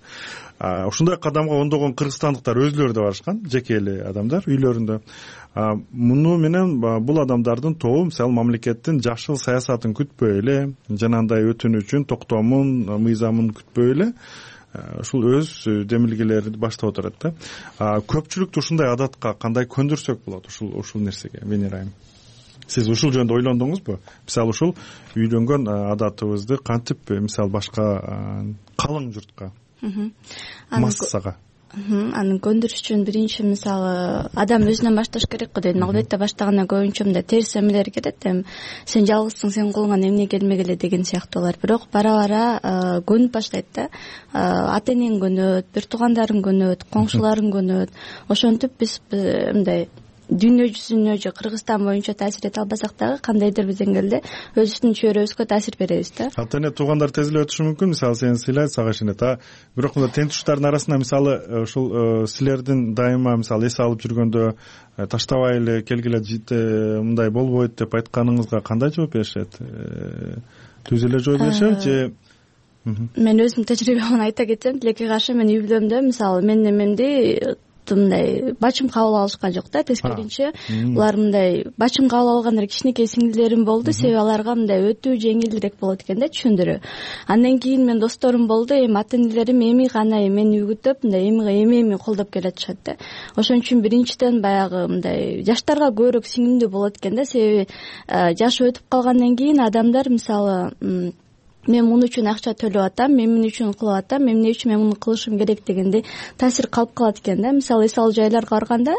Ушундай кадамга ондогон кыргызстандыктар өзүлөрү да барышкан, жеке эле адамдар үйлөрүндө. Муну менен бул адамдардын тобу мисалы мамлекеттин жашыл саясатын күтпөй эле, жанагындай өтүнүүчүн токтомун, мыйзамын күтпөй эле ушул өз демилгелерин баштап отурат да. Көпчүлүктү ушундай адатка кандай көндүрсөк болот ушул нерсеге, Венера айым? Сиз ушул жөнүндө ойлондуңузбу? Мисалы ушул үйлөнгөн адатыбызды кантип мисалы башка калың журтка, массага аны көндүрүш үчүн биринчи мисалы адам өзүнөн башташ керек го дейм. Албетте баштаганда көбүнчө мындай терс эмелер кетет. Сен жалгызсың, сен колуңан эмне келмегиле деген сыяктуулар. Бирок бара көнүп баштайт да. Ата энең көнөт, бир туугандарың көнөт, коңшуларың көнөт. Ошентип биз мындай дүйнө жүзүнө же Кыргызстан боюнча таасир эте албасак дагы кандайдыр бир деңгээлде өзүбүздүн чөйрөбүзгө таасир беребиз да. Ата эне туугандар тез эле өтүшү мүмкүн. Мисалы сени сыйлайт, сага ишенет. Бирок мында тең тууштардын арасында мисалы ушул силердин дайыма мисалы эс алып жүргөндө таштабай эле келгиле мындай болбойт деп айтканыңызга кандай жооп беришет? Түз эле жооп беришеби же? Мен өзүмдүн тажрыйбамдан айта кетсем, тилекке каршы мен үй бүлөмдө мисалы менин эмемди мындай бачым кабыл алышкан жок да. Тескерисинче булар мындай бачым кабыл алган кичинекей сиңдилерим болду. Себеби аларга мындай өтүү жеңилдирээк болот экен да, түшүндүрүү. Андан кийин мен досторум болду. Эми ата энелерим эми гана мени үйгүтүп, мындай эми колдоп келатышат да. Ошон үчүн биринчиден баягы мындай жаштарга көбүрөөк сиңимдүү болот экен да. Себеби жаш өтүп калгандан кийин адамдар мисалы мен муну үчүн акча төлөп атам, мен эмне үчүн кылып атам, эмне үчүн мен муну кылышым керек дегенде таасир калып калат экен да. Мисалы эс алуу жайларга барганда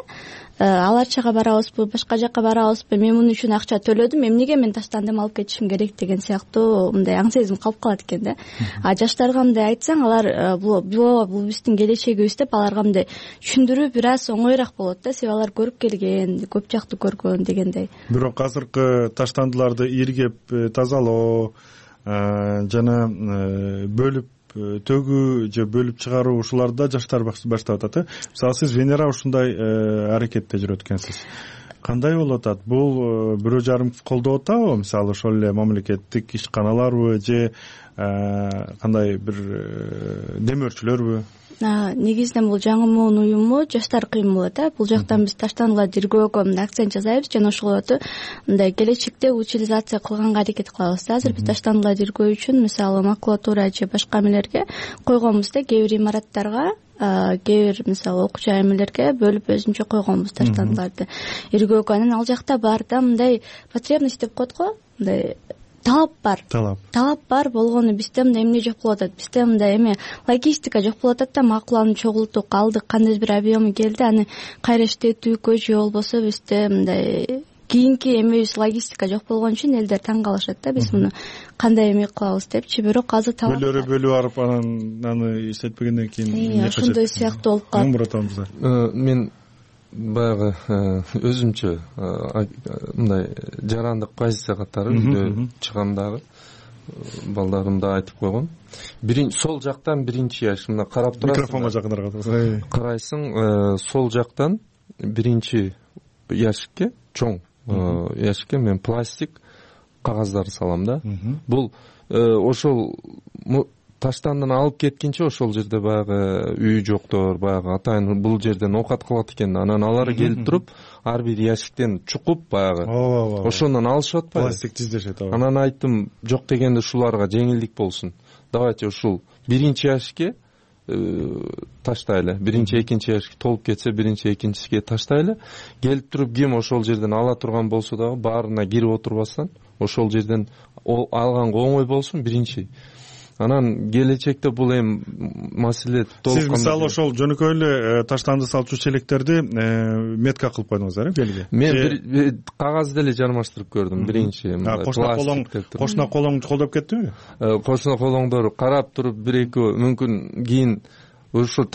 аларчага барабызбы, башка жака барабызбы, мен муну үчүн акча төлөдүм, эмнеге мен таштандым, алып кетишим керек деген сыяктуу мындай аң сезим калып калат экен да. Жаштарга мындай айтсаң, алар бул биздин келечегибиз деп аларга мындай түшүндүрүү бир аз оңоюраак болот да. Себеби алар көрүп келген, көп жактуу көргөн дегендей. Бирок азыркы таштандыларды иргеп тазалоо жана бөлүп төгүү же бөлүп чыгаруу ушуларда жаштар баштап атат. Мисалы сиз Венера ушундай аракетте жүрөт экенсиз. Кандай болуп атат? Бул бирөө жарым колдоп атабы? Мисалы ошол эле мамлекеттик ишканаларбы же кандай бир демөөрчүлөрбү? Негизинен бул жаңы муун уюму жаштар кыймылы да. Бул жактан биз таштандыларды тиргөөгө акцент жасайбыз жана ошолорду мындай келечекте утилизация кылганга аракет кылабыз да. Азыр биз таштандыларды тиргөө үчүн мисалы макулатура же башка эмелерге койгонбуз да. Кээ бир имараттарга, кээ бир мисалы окуу жай эмелерге бөлүп өзүнчө койгонбуз таштандыларды иргөөгө. Анан ал жакта бар да мындай потребность деп коет го, мындай талап бар болгону бизде мындай эмне жок болуп атат. Бизде мындай эме логистика жок болуп атат да. Макуланы чогулттук, алдык, кандайдыр бир объему келди, аны кайра иштетүүгө же болбосо бизде мындай кийинки эмебиз логистика жок болгон үчүн элдер таң калышат да, биз муну кандай эме кылабыз депчи. Бирок азыр бөлүп барып анан аны иштетпегенден кийин ошондой сыяктуу болуп калат. Мурат мен баягы өзүмчө мындай жарандык позиция катары үйдө чыгам балдарымда айтып койгом. Сол жактан биринчи яш мына карап турасың. Микрофонго жакыныраак карайсың, сол жактан биринчи ящикке, чоң ящикке мен пластик кагаздарды салам да. Бул ошол таштандын алып кеткенче ошол жерде баягы үй жоктор, баягы атайын бул жерден оокат кылат экен. Анан алар келип туруп, ар бир ящиктен чукуп баягы ошондон алышып атпайбы? Пластик тиздешет. Анан айттым, жок дегенде ушуларга жеңилдик болсун. Давайте ушул биринчи ящикке таштайлы. Биринчи, экинчи ящик толуп кетсе, биринчи, экинчисиге таштайлы. Келип туруп ким ошол жерден ала турган болсо дагы баарына кирип отурбастан ошол жерден алганга оңой болсун биринчи. Анан келечекте бул эми маселе толук. Сиз мисалы ошол жөнөкөй эле таштанды салчу челектерди метка кылып койдуңуздар, белги? Мен бир кагаз деле жармаштырып көрдүм биринчи. Кошуна колоң колдоп кеттиби? Кошуна колоңдор карап туруп бир экөө мүмкүн кийин ошо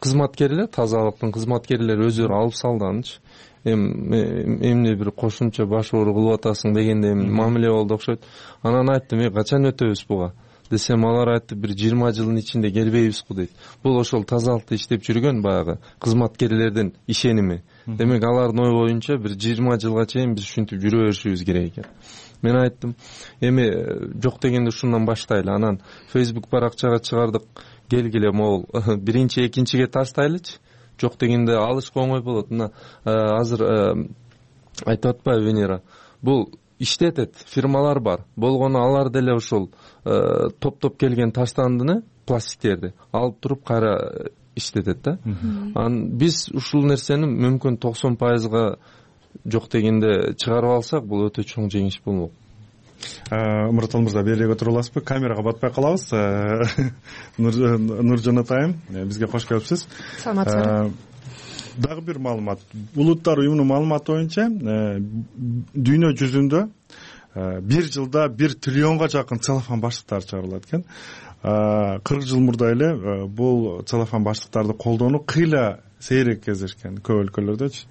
кызматкерлер, тазалыктын кызматкерлери өздөрү алып салды анычы. Эмне бир кошумча баш оору кылып атасың дегенде мамиле болду окшойт. Анан айттым, качан өтөбүз буга десем, алар айтты, бир 20 жылдын ичинде келбейбизку дейт. Бул ошол тазалыкты иштеп жүргөн баягы кызматкерлердин ишеними. Демек алардын ой боюнча бир 20 жылга чейин биз ушинтип жүрө беришибиз керек экен. Мен айттым, эми жок дегенде ушундан баштайлы. Анан Facebook баракчага чыгардык, келгиле могул биринчи, экинчиге таштайлычы. Жок дегенде алышка оңой болот. Мына азыр айтып атпайбы Венера? Бул иштетет, фирмалар бар. Болгону алар деле ошол топтоп келген таштандыны, пластиктерди алып туруп кайра иштетет да. Биз ушул нерсени мүмкүн 90%га жок дегенде чыгарып алсак, бул өтө чоң жеңиш болмок. Мурат мырза, бери отуруп аласызбы? Камерага батпай калабыз. Нуржан атайым, бизге кош келипсиз. Саламатсызбы. Дагы бир маалымат. Улуттар уюмунун маалыматы боюнча, дүйнө жүзүндө бир жылда 1 триллионго жакын целлофан баштыктар чыгарылат экен. 40 жыл мурда эле бул целлофан баштыктарды колдонуу кыйла сейрек кездешкен көп өлкөлөрдөчү.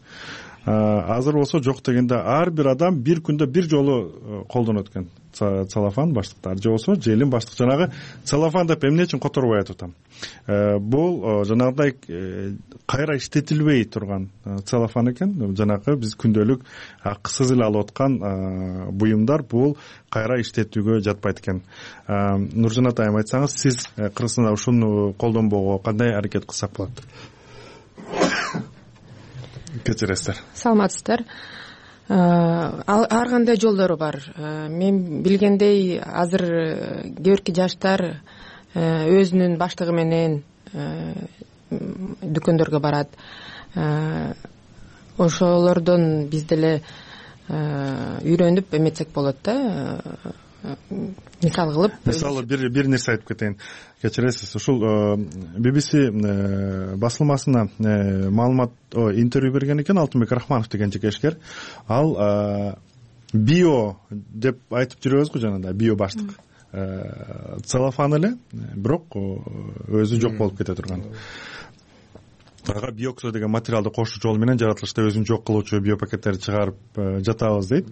Азыр болсо жок дегенде ар бир адам бир күндө бир жолу колдонот экен целлофан баштыктар. Же болсо желим баштык. Жанагы целлофан деп эмне үчүн которбой айтып атам? Бул жанагыдай кайра иштетилбей турган целлофан экен. Жанагы биз күндөлүк акысыз эле алып аткан буюмдар бул кайра иштетүүгө жатпайт экен. Нуржан атайым, айтсаңыз, сиз Кыргызстанда ушуну колдонбоого кандай аракет кылсак болот? Кечиресиздер. Саламатсыздар. Ар кандай жолдору бар. Мен билгендей, азыр кээ бирки жаштар өзүнүн баштыгы менен дүкөндөргө барат. Ошолордон биз деле үйрөнүп эметсек болот да. Мисал кылып, бир нерсе айтып кетейин. Кечиресиз, ушул BBC басылмасына маалымат, интервью берген экен Алтынбек Рахманов деген жекешкер. Ал био деп айтып жүрөбүз го жанагындай, био баштык. Целлофан эле, бирок өзү жок болуп кете турган. Ага биоксо деген материалды кошуу жолу менен жаратылышта өзүн жок кылуучу биопакеттерди чыгарып жатабыз дейт.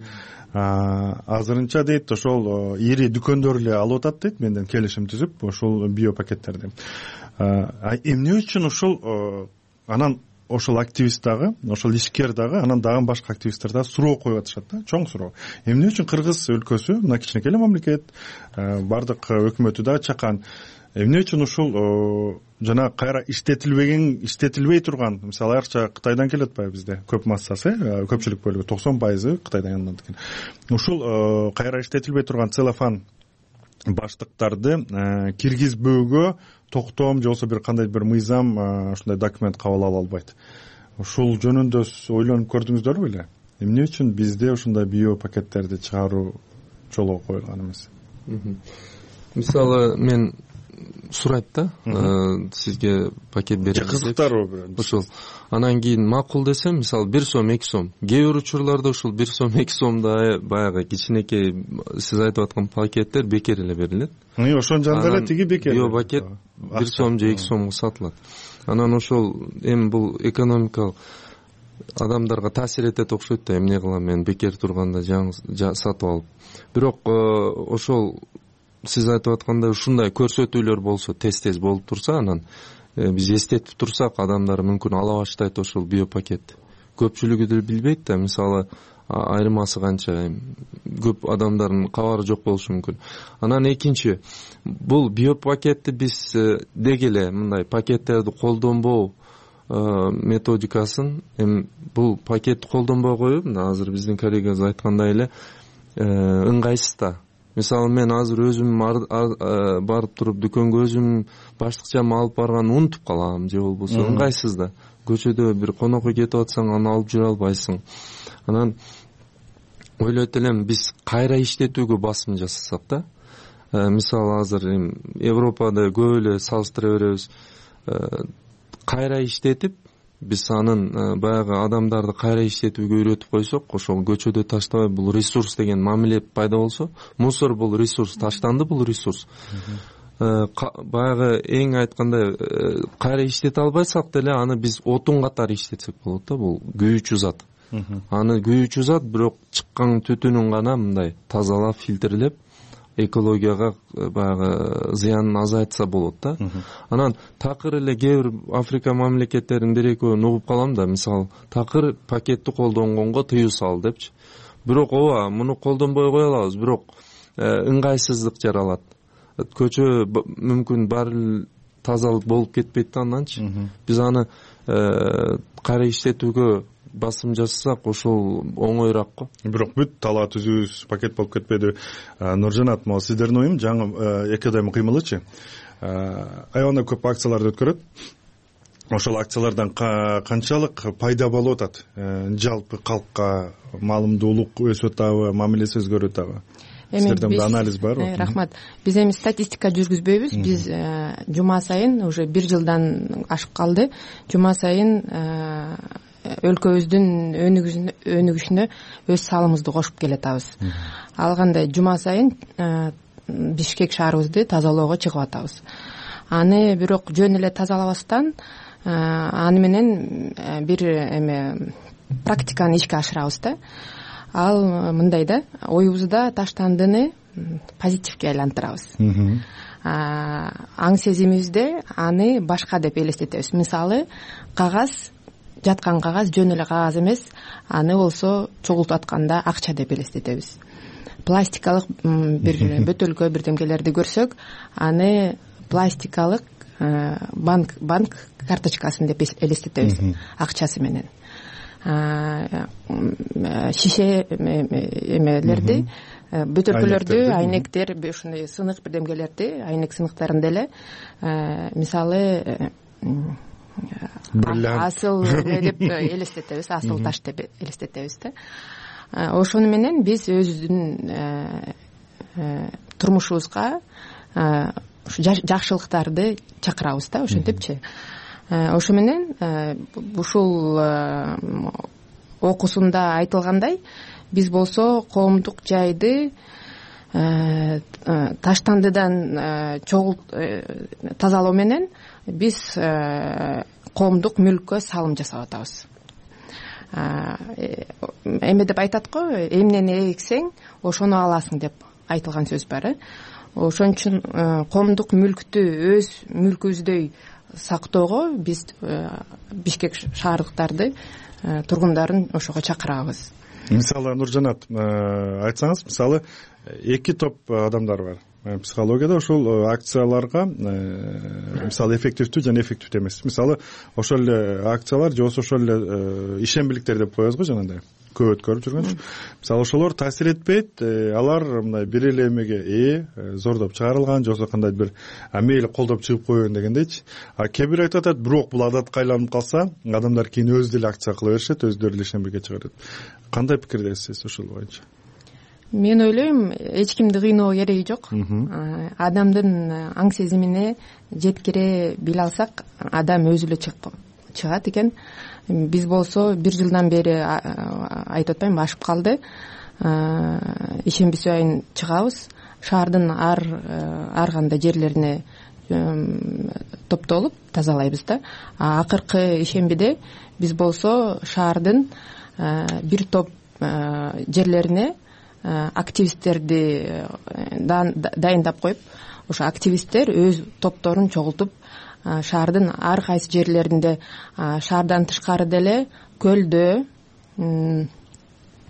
Азырынча дейт, ошол ири дүкөндөр эле алып атат дейт, менден келишим түзүп ошол биопакеттерди. Эмне үчүн ушул анан ошол активист дагы, ошол ишкер дагы, анан дагы башка активисттер дагы суроо коюп атышат да, чоң суроо. Эмне үчүн Кыргыз өлкөсү, мына кичинекей эле мамлекет, бардык өкмөтү дагы чакан, эмне үчүн ушул жана кайра иштетилбей турган, мисалы айрыкча Кытайдан келип атпайбы бизде көп массасы, көпчүлүк бөлүгү 90% Кытайдан алынат экен. Ушул кайра иштетилбей турган целлофан баштыктарды киргизбөөгө токтом же болбосо бир кандай бир мыйзам ушундай документ кабыл ала албайт. Ушул жөнүндө ойлонуп көрдүңүздөрбү беле? Эмне үчүн бизде ушундай биопакеттерди чыгаруу жолго коюлган эмес? Мисалы мен сурайт да, сизге пакет беребиз деп. Кызыктарбы ошол. Анан кийин макул десем, мисалы 1 сом 2 сом. Кээ бир учурларда ушул 1 сом 2 сомда баягы кичинекей сиз айтып аткан пакеттер бекер эле берилет. Ошонун жанында эле тиги бекер. Био пакет 1 сом же 2 сомго сатылат. Анан ошол эми бул экономикалык адамдарга таасир этет окшойт да, эмне кылам мен бекер турганда сатып алып. Бирок ошол сиз айтып аткандай ушундай көрсөтүүлөр болсо, тез болуп турса, анан биз эстетип турсак, адамдар мүмкүн ала баштайт ошол биопакетти. Көпчүлүгү деле билбейт да, мисалы айырмасы канча, көп адамдардын кабары жок болушу мүмкүн. Анан экинчи, бул биопакетти биз деги эле мындай пакеттерди колдонбоо методикасын, эми бул пакетти колдонбой коюп, азыр биздин коллегабыз айткандай эле ыңгайсыз да. Мисалы мен азыр өзүм барып туруп дүкөнгө өзүм баштыкчам алып барганды унутуп калам, же болбосо ыңгайсыз да. Көчөдө бир конокко кетип атсаң, аны алып жүрө албайсың. Анан ойлойт элем, биз кайра иштетүүгө басым жасасак да. Мисалы азыр Европада көп эле салыштыра беребиз. Кайра иштетип, биз анын баягы адамдарды кайра иштетүүгө үйрөтүп койсок, ошол көчөдө таштабай бул ресурс деген мамиле пайда болсо, мусор бул ресурс, таштанды бул ресурс. Баягы эң айткандай кайра иштете албайсак деле, аны биз отун катары иштетсек болот да, бул күйүүчү зат. Аны күйүүчү зат, бирок чыккан түтүнүн гана мындай тазалап, фильтрлеп, экологияга баягы зыянын азайтса болот да. Анан такыр эле кээ бир Африка мамлекеттеринин бир экөөнү угуп калам да, мисалы такыр пакетти колдонгонго тыюу сал депчи. Бирок ооба, муну колдонбой кое алабыз, бирок ыңгайсыздык жаралат. Көчө мүмкүн баары тазалык болуп кетпейт да анданчы. Биз аны кайра иштетүүгө басым жасасак, ошол оңоюраак го. Бирок бүт талаа түзүүбүз пакет болуп кетпеди. Нуржанат, могу сиздердин оюм жаңы экодем кыймылычы аябай көп акцияларды өткөрөт. Ошол акциялардан канчалык пайда болуп атат? Жалпы калкка маалымдуулук өсүп атабы, мамилеси өзгөрүп атабы? Сиздерде анализ барбы? Рахмат. Биз эми статистика жүргүзбөйбүз. Биз жума сайын уже 1 жылдан ашып калды. Жума сайын өлкөбүздүн өнүгүшүнө өз салымыбызды кошуп келатабыз. Ал кандай жума сайын Бишкек шаарыбызды тазалоого чыгып атабыз. Аны бирок жөн эле тазалабастан, аны менен бир практиканы ишке ашырабыз да. Ал мындай да, оюбузда таштандыны позитивге айлантырабыз. Аң сезимибизде аны башка деп элестетебиз. Мисалы, кагаз, жаткан кагаз жөн эле кагаз эмес, аны болсо чогултуп атканда акча деп элестетебиз. Пластикалык бир бөтөлкө бирдемелерди көрсөк, аны пластикалык банк карточкасын деп элестетебиз, акчасы менен. Шише эмелерди, бөтөлкөлөрдү, айнектер, ушундай сынык бирдемелерди, айнек сыныктарын деле мисалы асыл деп элестетебиз, асыл таш деп элестетебиз да. Ошону менен биз өзүбүздүн турмушубузга жакшылыктарды чакырабыз да, ошентипчи. Ошо менен ушул окуусунда айтылгандай, биз болсо коомдук жайды таштандыдан тазалоо менен биз коомдук мүлккө салым жасап атабыз. Эме деп айтат го, эмнени эксең, ошону аласың деп айтылган сөз бар. Ошон үчүн коомдук мүлктү өз мүлкүбүздөй сактоого биз Бишкек шаардыктарды, тургундарын ошого чакырабыз. Мисалы, Нуржанат, айтсаңыз, мисалы, 2 топ адамдар бар. Психологияда ошол акцияларга мисалы эффективдүү жана эффективдүү эмес. Мисалы, ошол эле акциялар же ошол эле ишембиликтер деп коебуз го жанагындай. Көп өткөрүп жүргөнчү. Мисалы, ошолор таасир этпейт, алар мындай бир эле эмеге зордоп чыгарылган, же болбосо кандай бир мейли колдоп чыгып койгон дегендейчи. Кээ бир айтып атат, бирок бул адатка айланып калса, адамдар кийин өзү деле акция кыла беришет, өздөрү эле ишембиликке чыгарат. Кандай пикирдесиз ошол боюнча? мен ойлойм эч кимди кыйноо кереги жок. Адамдын аң сезимине жеткире биле алсак адам өзү эле чыгат экен. Биз болсо 1 жылдан бери айтып атпайм, ашып калды. Ишемби сайын чыгабыз. Шаардын ар кандай жерлерине топтолуп тазалайбыз да. Акыркы ишембиде биз болсо шаардын бир топ жерлерине активисттерди дайындап коюп, ошо активисттер өз топторун чогултуп шаардын ар кайсы жерлеринде, шаардан тышкары деле көлдө,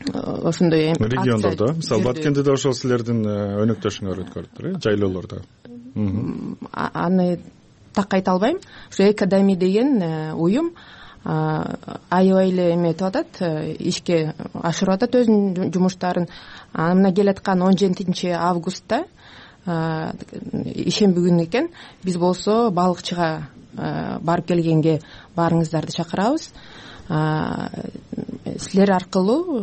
ошондой региондордо, мисалы Баткендеде ошол силердин өнөктөшүңөр өткөрүптүр, жайлоолордо. Аны так айта албайм. Ошо Экадеми деген уюм аябай эле эметип атат, ишке ашырып атат өзүнүн жумуштарын. Мына келаткан 17 августта ишемби күнү экен. Биз болсо балыкчыга барып келгенге баарыңыздарды чакырабыз. Силер аркылуу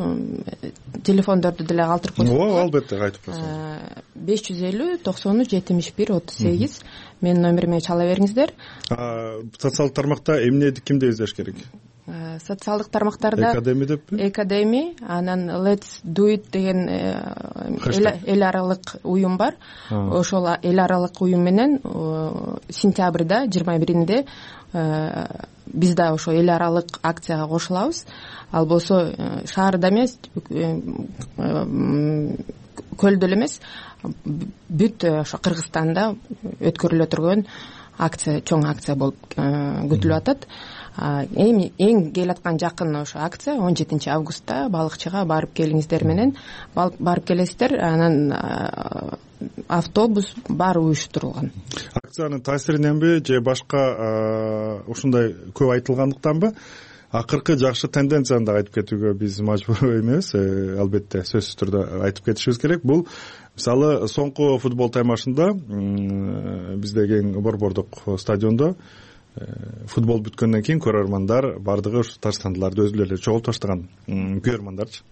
телефондорду деле калтырып койсоңуздар. Ооба, албетте кайтып койсоң. 550-93-78 менин номериме чала бериңиздер. Социалдык тармакта эмне кимди издеш керек? Социалдык тармактарда Экадеми деппи? Экадеми, анан Let's Do It деген эл аралык уюм бар. Ошол эл аралык уюм менен сентябрда 21-инде биз да ошо эл аралык акцияга кошулабыз. Ал болсо шаарда эмес, көлдө эле эмес, бүт ошо Кыргызстанда өткөрүлө турган акция, чоң акция болуп күтүлүп атат. Эң келаткан жакын ошо акция 17 августта балыкчыга барып келиңиздер менен барып келесиздер. Анан автобус баары уюштурулган. Акциянын таасириненби же башка ушундай көп айтылгандыктанбы? Акыркы жакшы тенденцияны да айтып кетүүгө биз мажбур эмес, албетте сөзсүз түрдө айтып кетишибиз керек. Бул мисалы соңку футбол таймашында биздеги эң борбордук стадиондо футбол бүткөндөн кийин көрөрмандар бардыгы ушу таштандыларды өзүлөрү эле чогултуп таштаган көрөрмандарчы.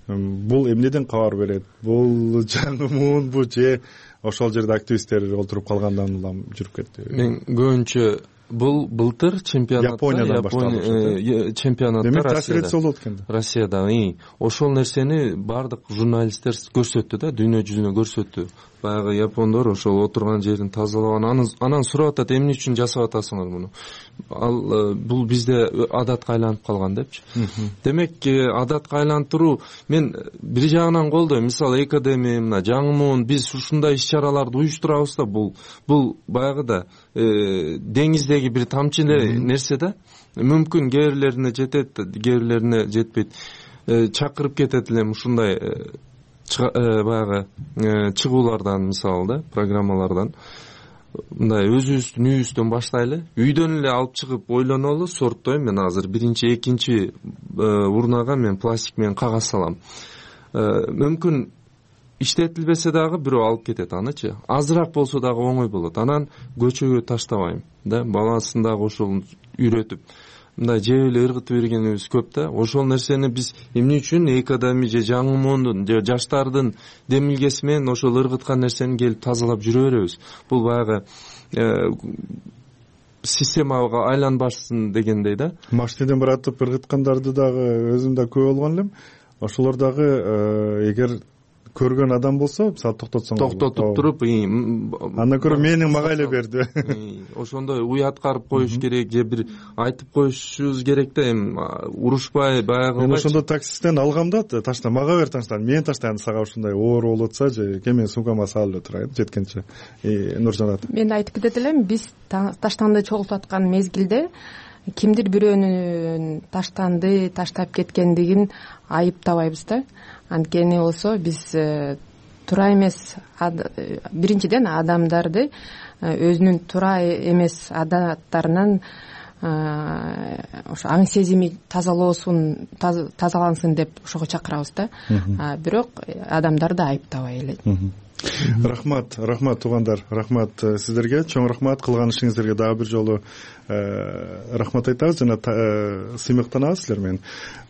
Бул эмнеден кабар берет? Бул жаңымунбу же ошол жерде активисттер олтуруп калгандан улам жүрүп кетти? Мен көбүнчө бул былтыр чемпионатта, Япониядан башталды. Чемпионатта демек таасир этсе болот экен. Россияда ошол нерсени бардык журналисттер көрсөттү да, дүйнө жүзүнө көрсөттү. Баягы япондор ошол отурган жерин тазалаган, анан сурап атат, эмне үчүн жасап атасыңар муну? Ал бул бизде адатка айланып калган депчи. Демек адатка айлантыруу мен бир жагынан колдойм. Мисалы Экадеми, мына жаңымун биз ушундай иш-чараларды уюштурабыз да, бул баягыда деңиздеги бир тамчы нерсе да. Мүмкүн кээ бирлерине жетет, кээ бирлерине жетпейт. Чакырып кетет элем ушундай баягы чыгуулардан, мисалы да, программалардан. Мындай өзүбүздүн үйүбүздөн баштайлы, үйдөн эле алып чыгып ойлонолу, сорттойм. Мен азыр биринчи, экинчи урнага мен пластик менен кагаз салам. Мүмкүн иштетилбесе дагы бирөө алып кетет анычы. Азыраак болсо дагы оңой болот. Анан көчөгө таштабайм да, баласын дагы ошол үйрөтүп мындай жеп эле ыргытып бергенибиз көп да. Ошол нерсени биз эмне үчүн Экадеми же жаңымондун же жаштардын демилгеси менен ошол ыргыткан нерсени келип тазалап жүрө беребиз. Бул баягы системага айланбасын дегендей да. Машинеден баратып ыргыткандарды дагы өзүм да көп болгон элем. Ошолор дагы эгер көргөн адам болсо, мисалы токтотуп туруп, андан көрө мени мага эле берди. Ошондой уят карып коюш керек же бир айтып коюшубуз керек да, эми урушпай баягы. Мен ошондо таксисттен алгам да, ташта мага бер таштан, мен таштайм, сага ушундай оор болуп атса же менин сумкама салып эле турайын жеткенче. Нуржанат. Мен айтып кетет элем, биз таштанды чогултуп аткан мезгилде кимдир бирөөнүн таштанды таштап кеткендигин айыптабайбыз да. Анткени болсо биз туура эмес, биринчиден адамдарды өзүнүн туура эмес адаттарынан ошо аң сезими тазалансын деп ошого чакырабыз да. Бирок адамдарды айыптабай эле. Рахмат туугандар, рахмат сиздерге, чоң рахмат. Кылган ишиңиздерге дагы бир жолу рахмат айтабыз жана сыймыктанабыз силер менен.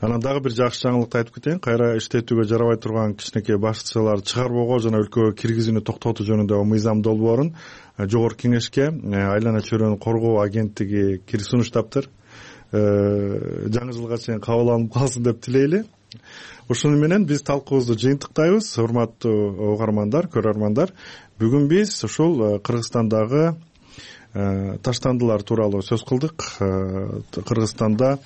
Анан дагы бир жакшы жаңылыкты айтып кетейин. Кайра иштетүүгө жарабай турган кичинекей башчылар чыгарбоого жана өлкөгө киргизүүнү токтотуу жөнүндө мыйзам долбоорун Жогорку Кеңешке Айлана чөйрөнү коргоо агенттиги сунуштаптыр. Жаңы жылга чейин кабыл алынып калсын деп тилейли. Ушуну менен биз талкуубузду жыйынтыктайбыз. Урматтуу угармандар, көрөрмандар, бүгүн биз ушул Кыргызстандагы таштандылар тууралуу сөз кылдык. Кыргызстанда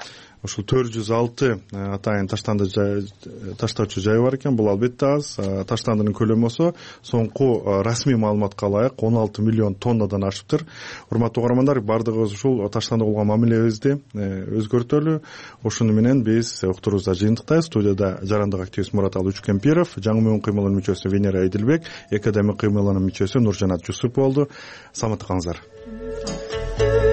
ушул 406 атайын таштоочу жай бар экен. Бул албетте аз. Таштандынын көлөмү болсо соңку расмий маалыматка ылайык 16 миллион тоннадан ашыптыр. Урматтуу угармандар, бардыгыбыз ушул таштанды болгон мамилебизди өзгөртөлү. Ошону менен биз уктурубузда жыйынтыктайбыз. Студияда жарандык активист Мураталы Үчкемпиров, жаңы муун кыймылынын мүчөсү Венера Эдилбек, Экадемик кыймылынын мүчөсү Нуржанат Жусуп болду. Саламатта калыңыздар.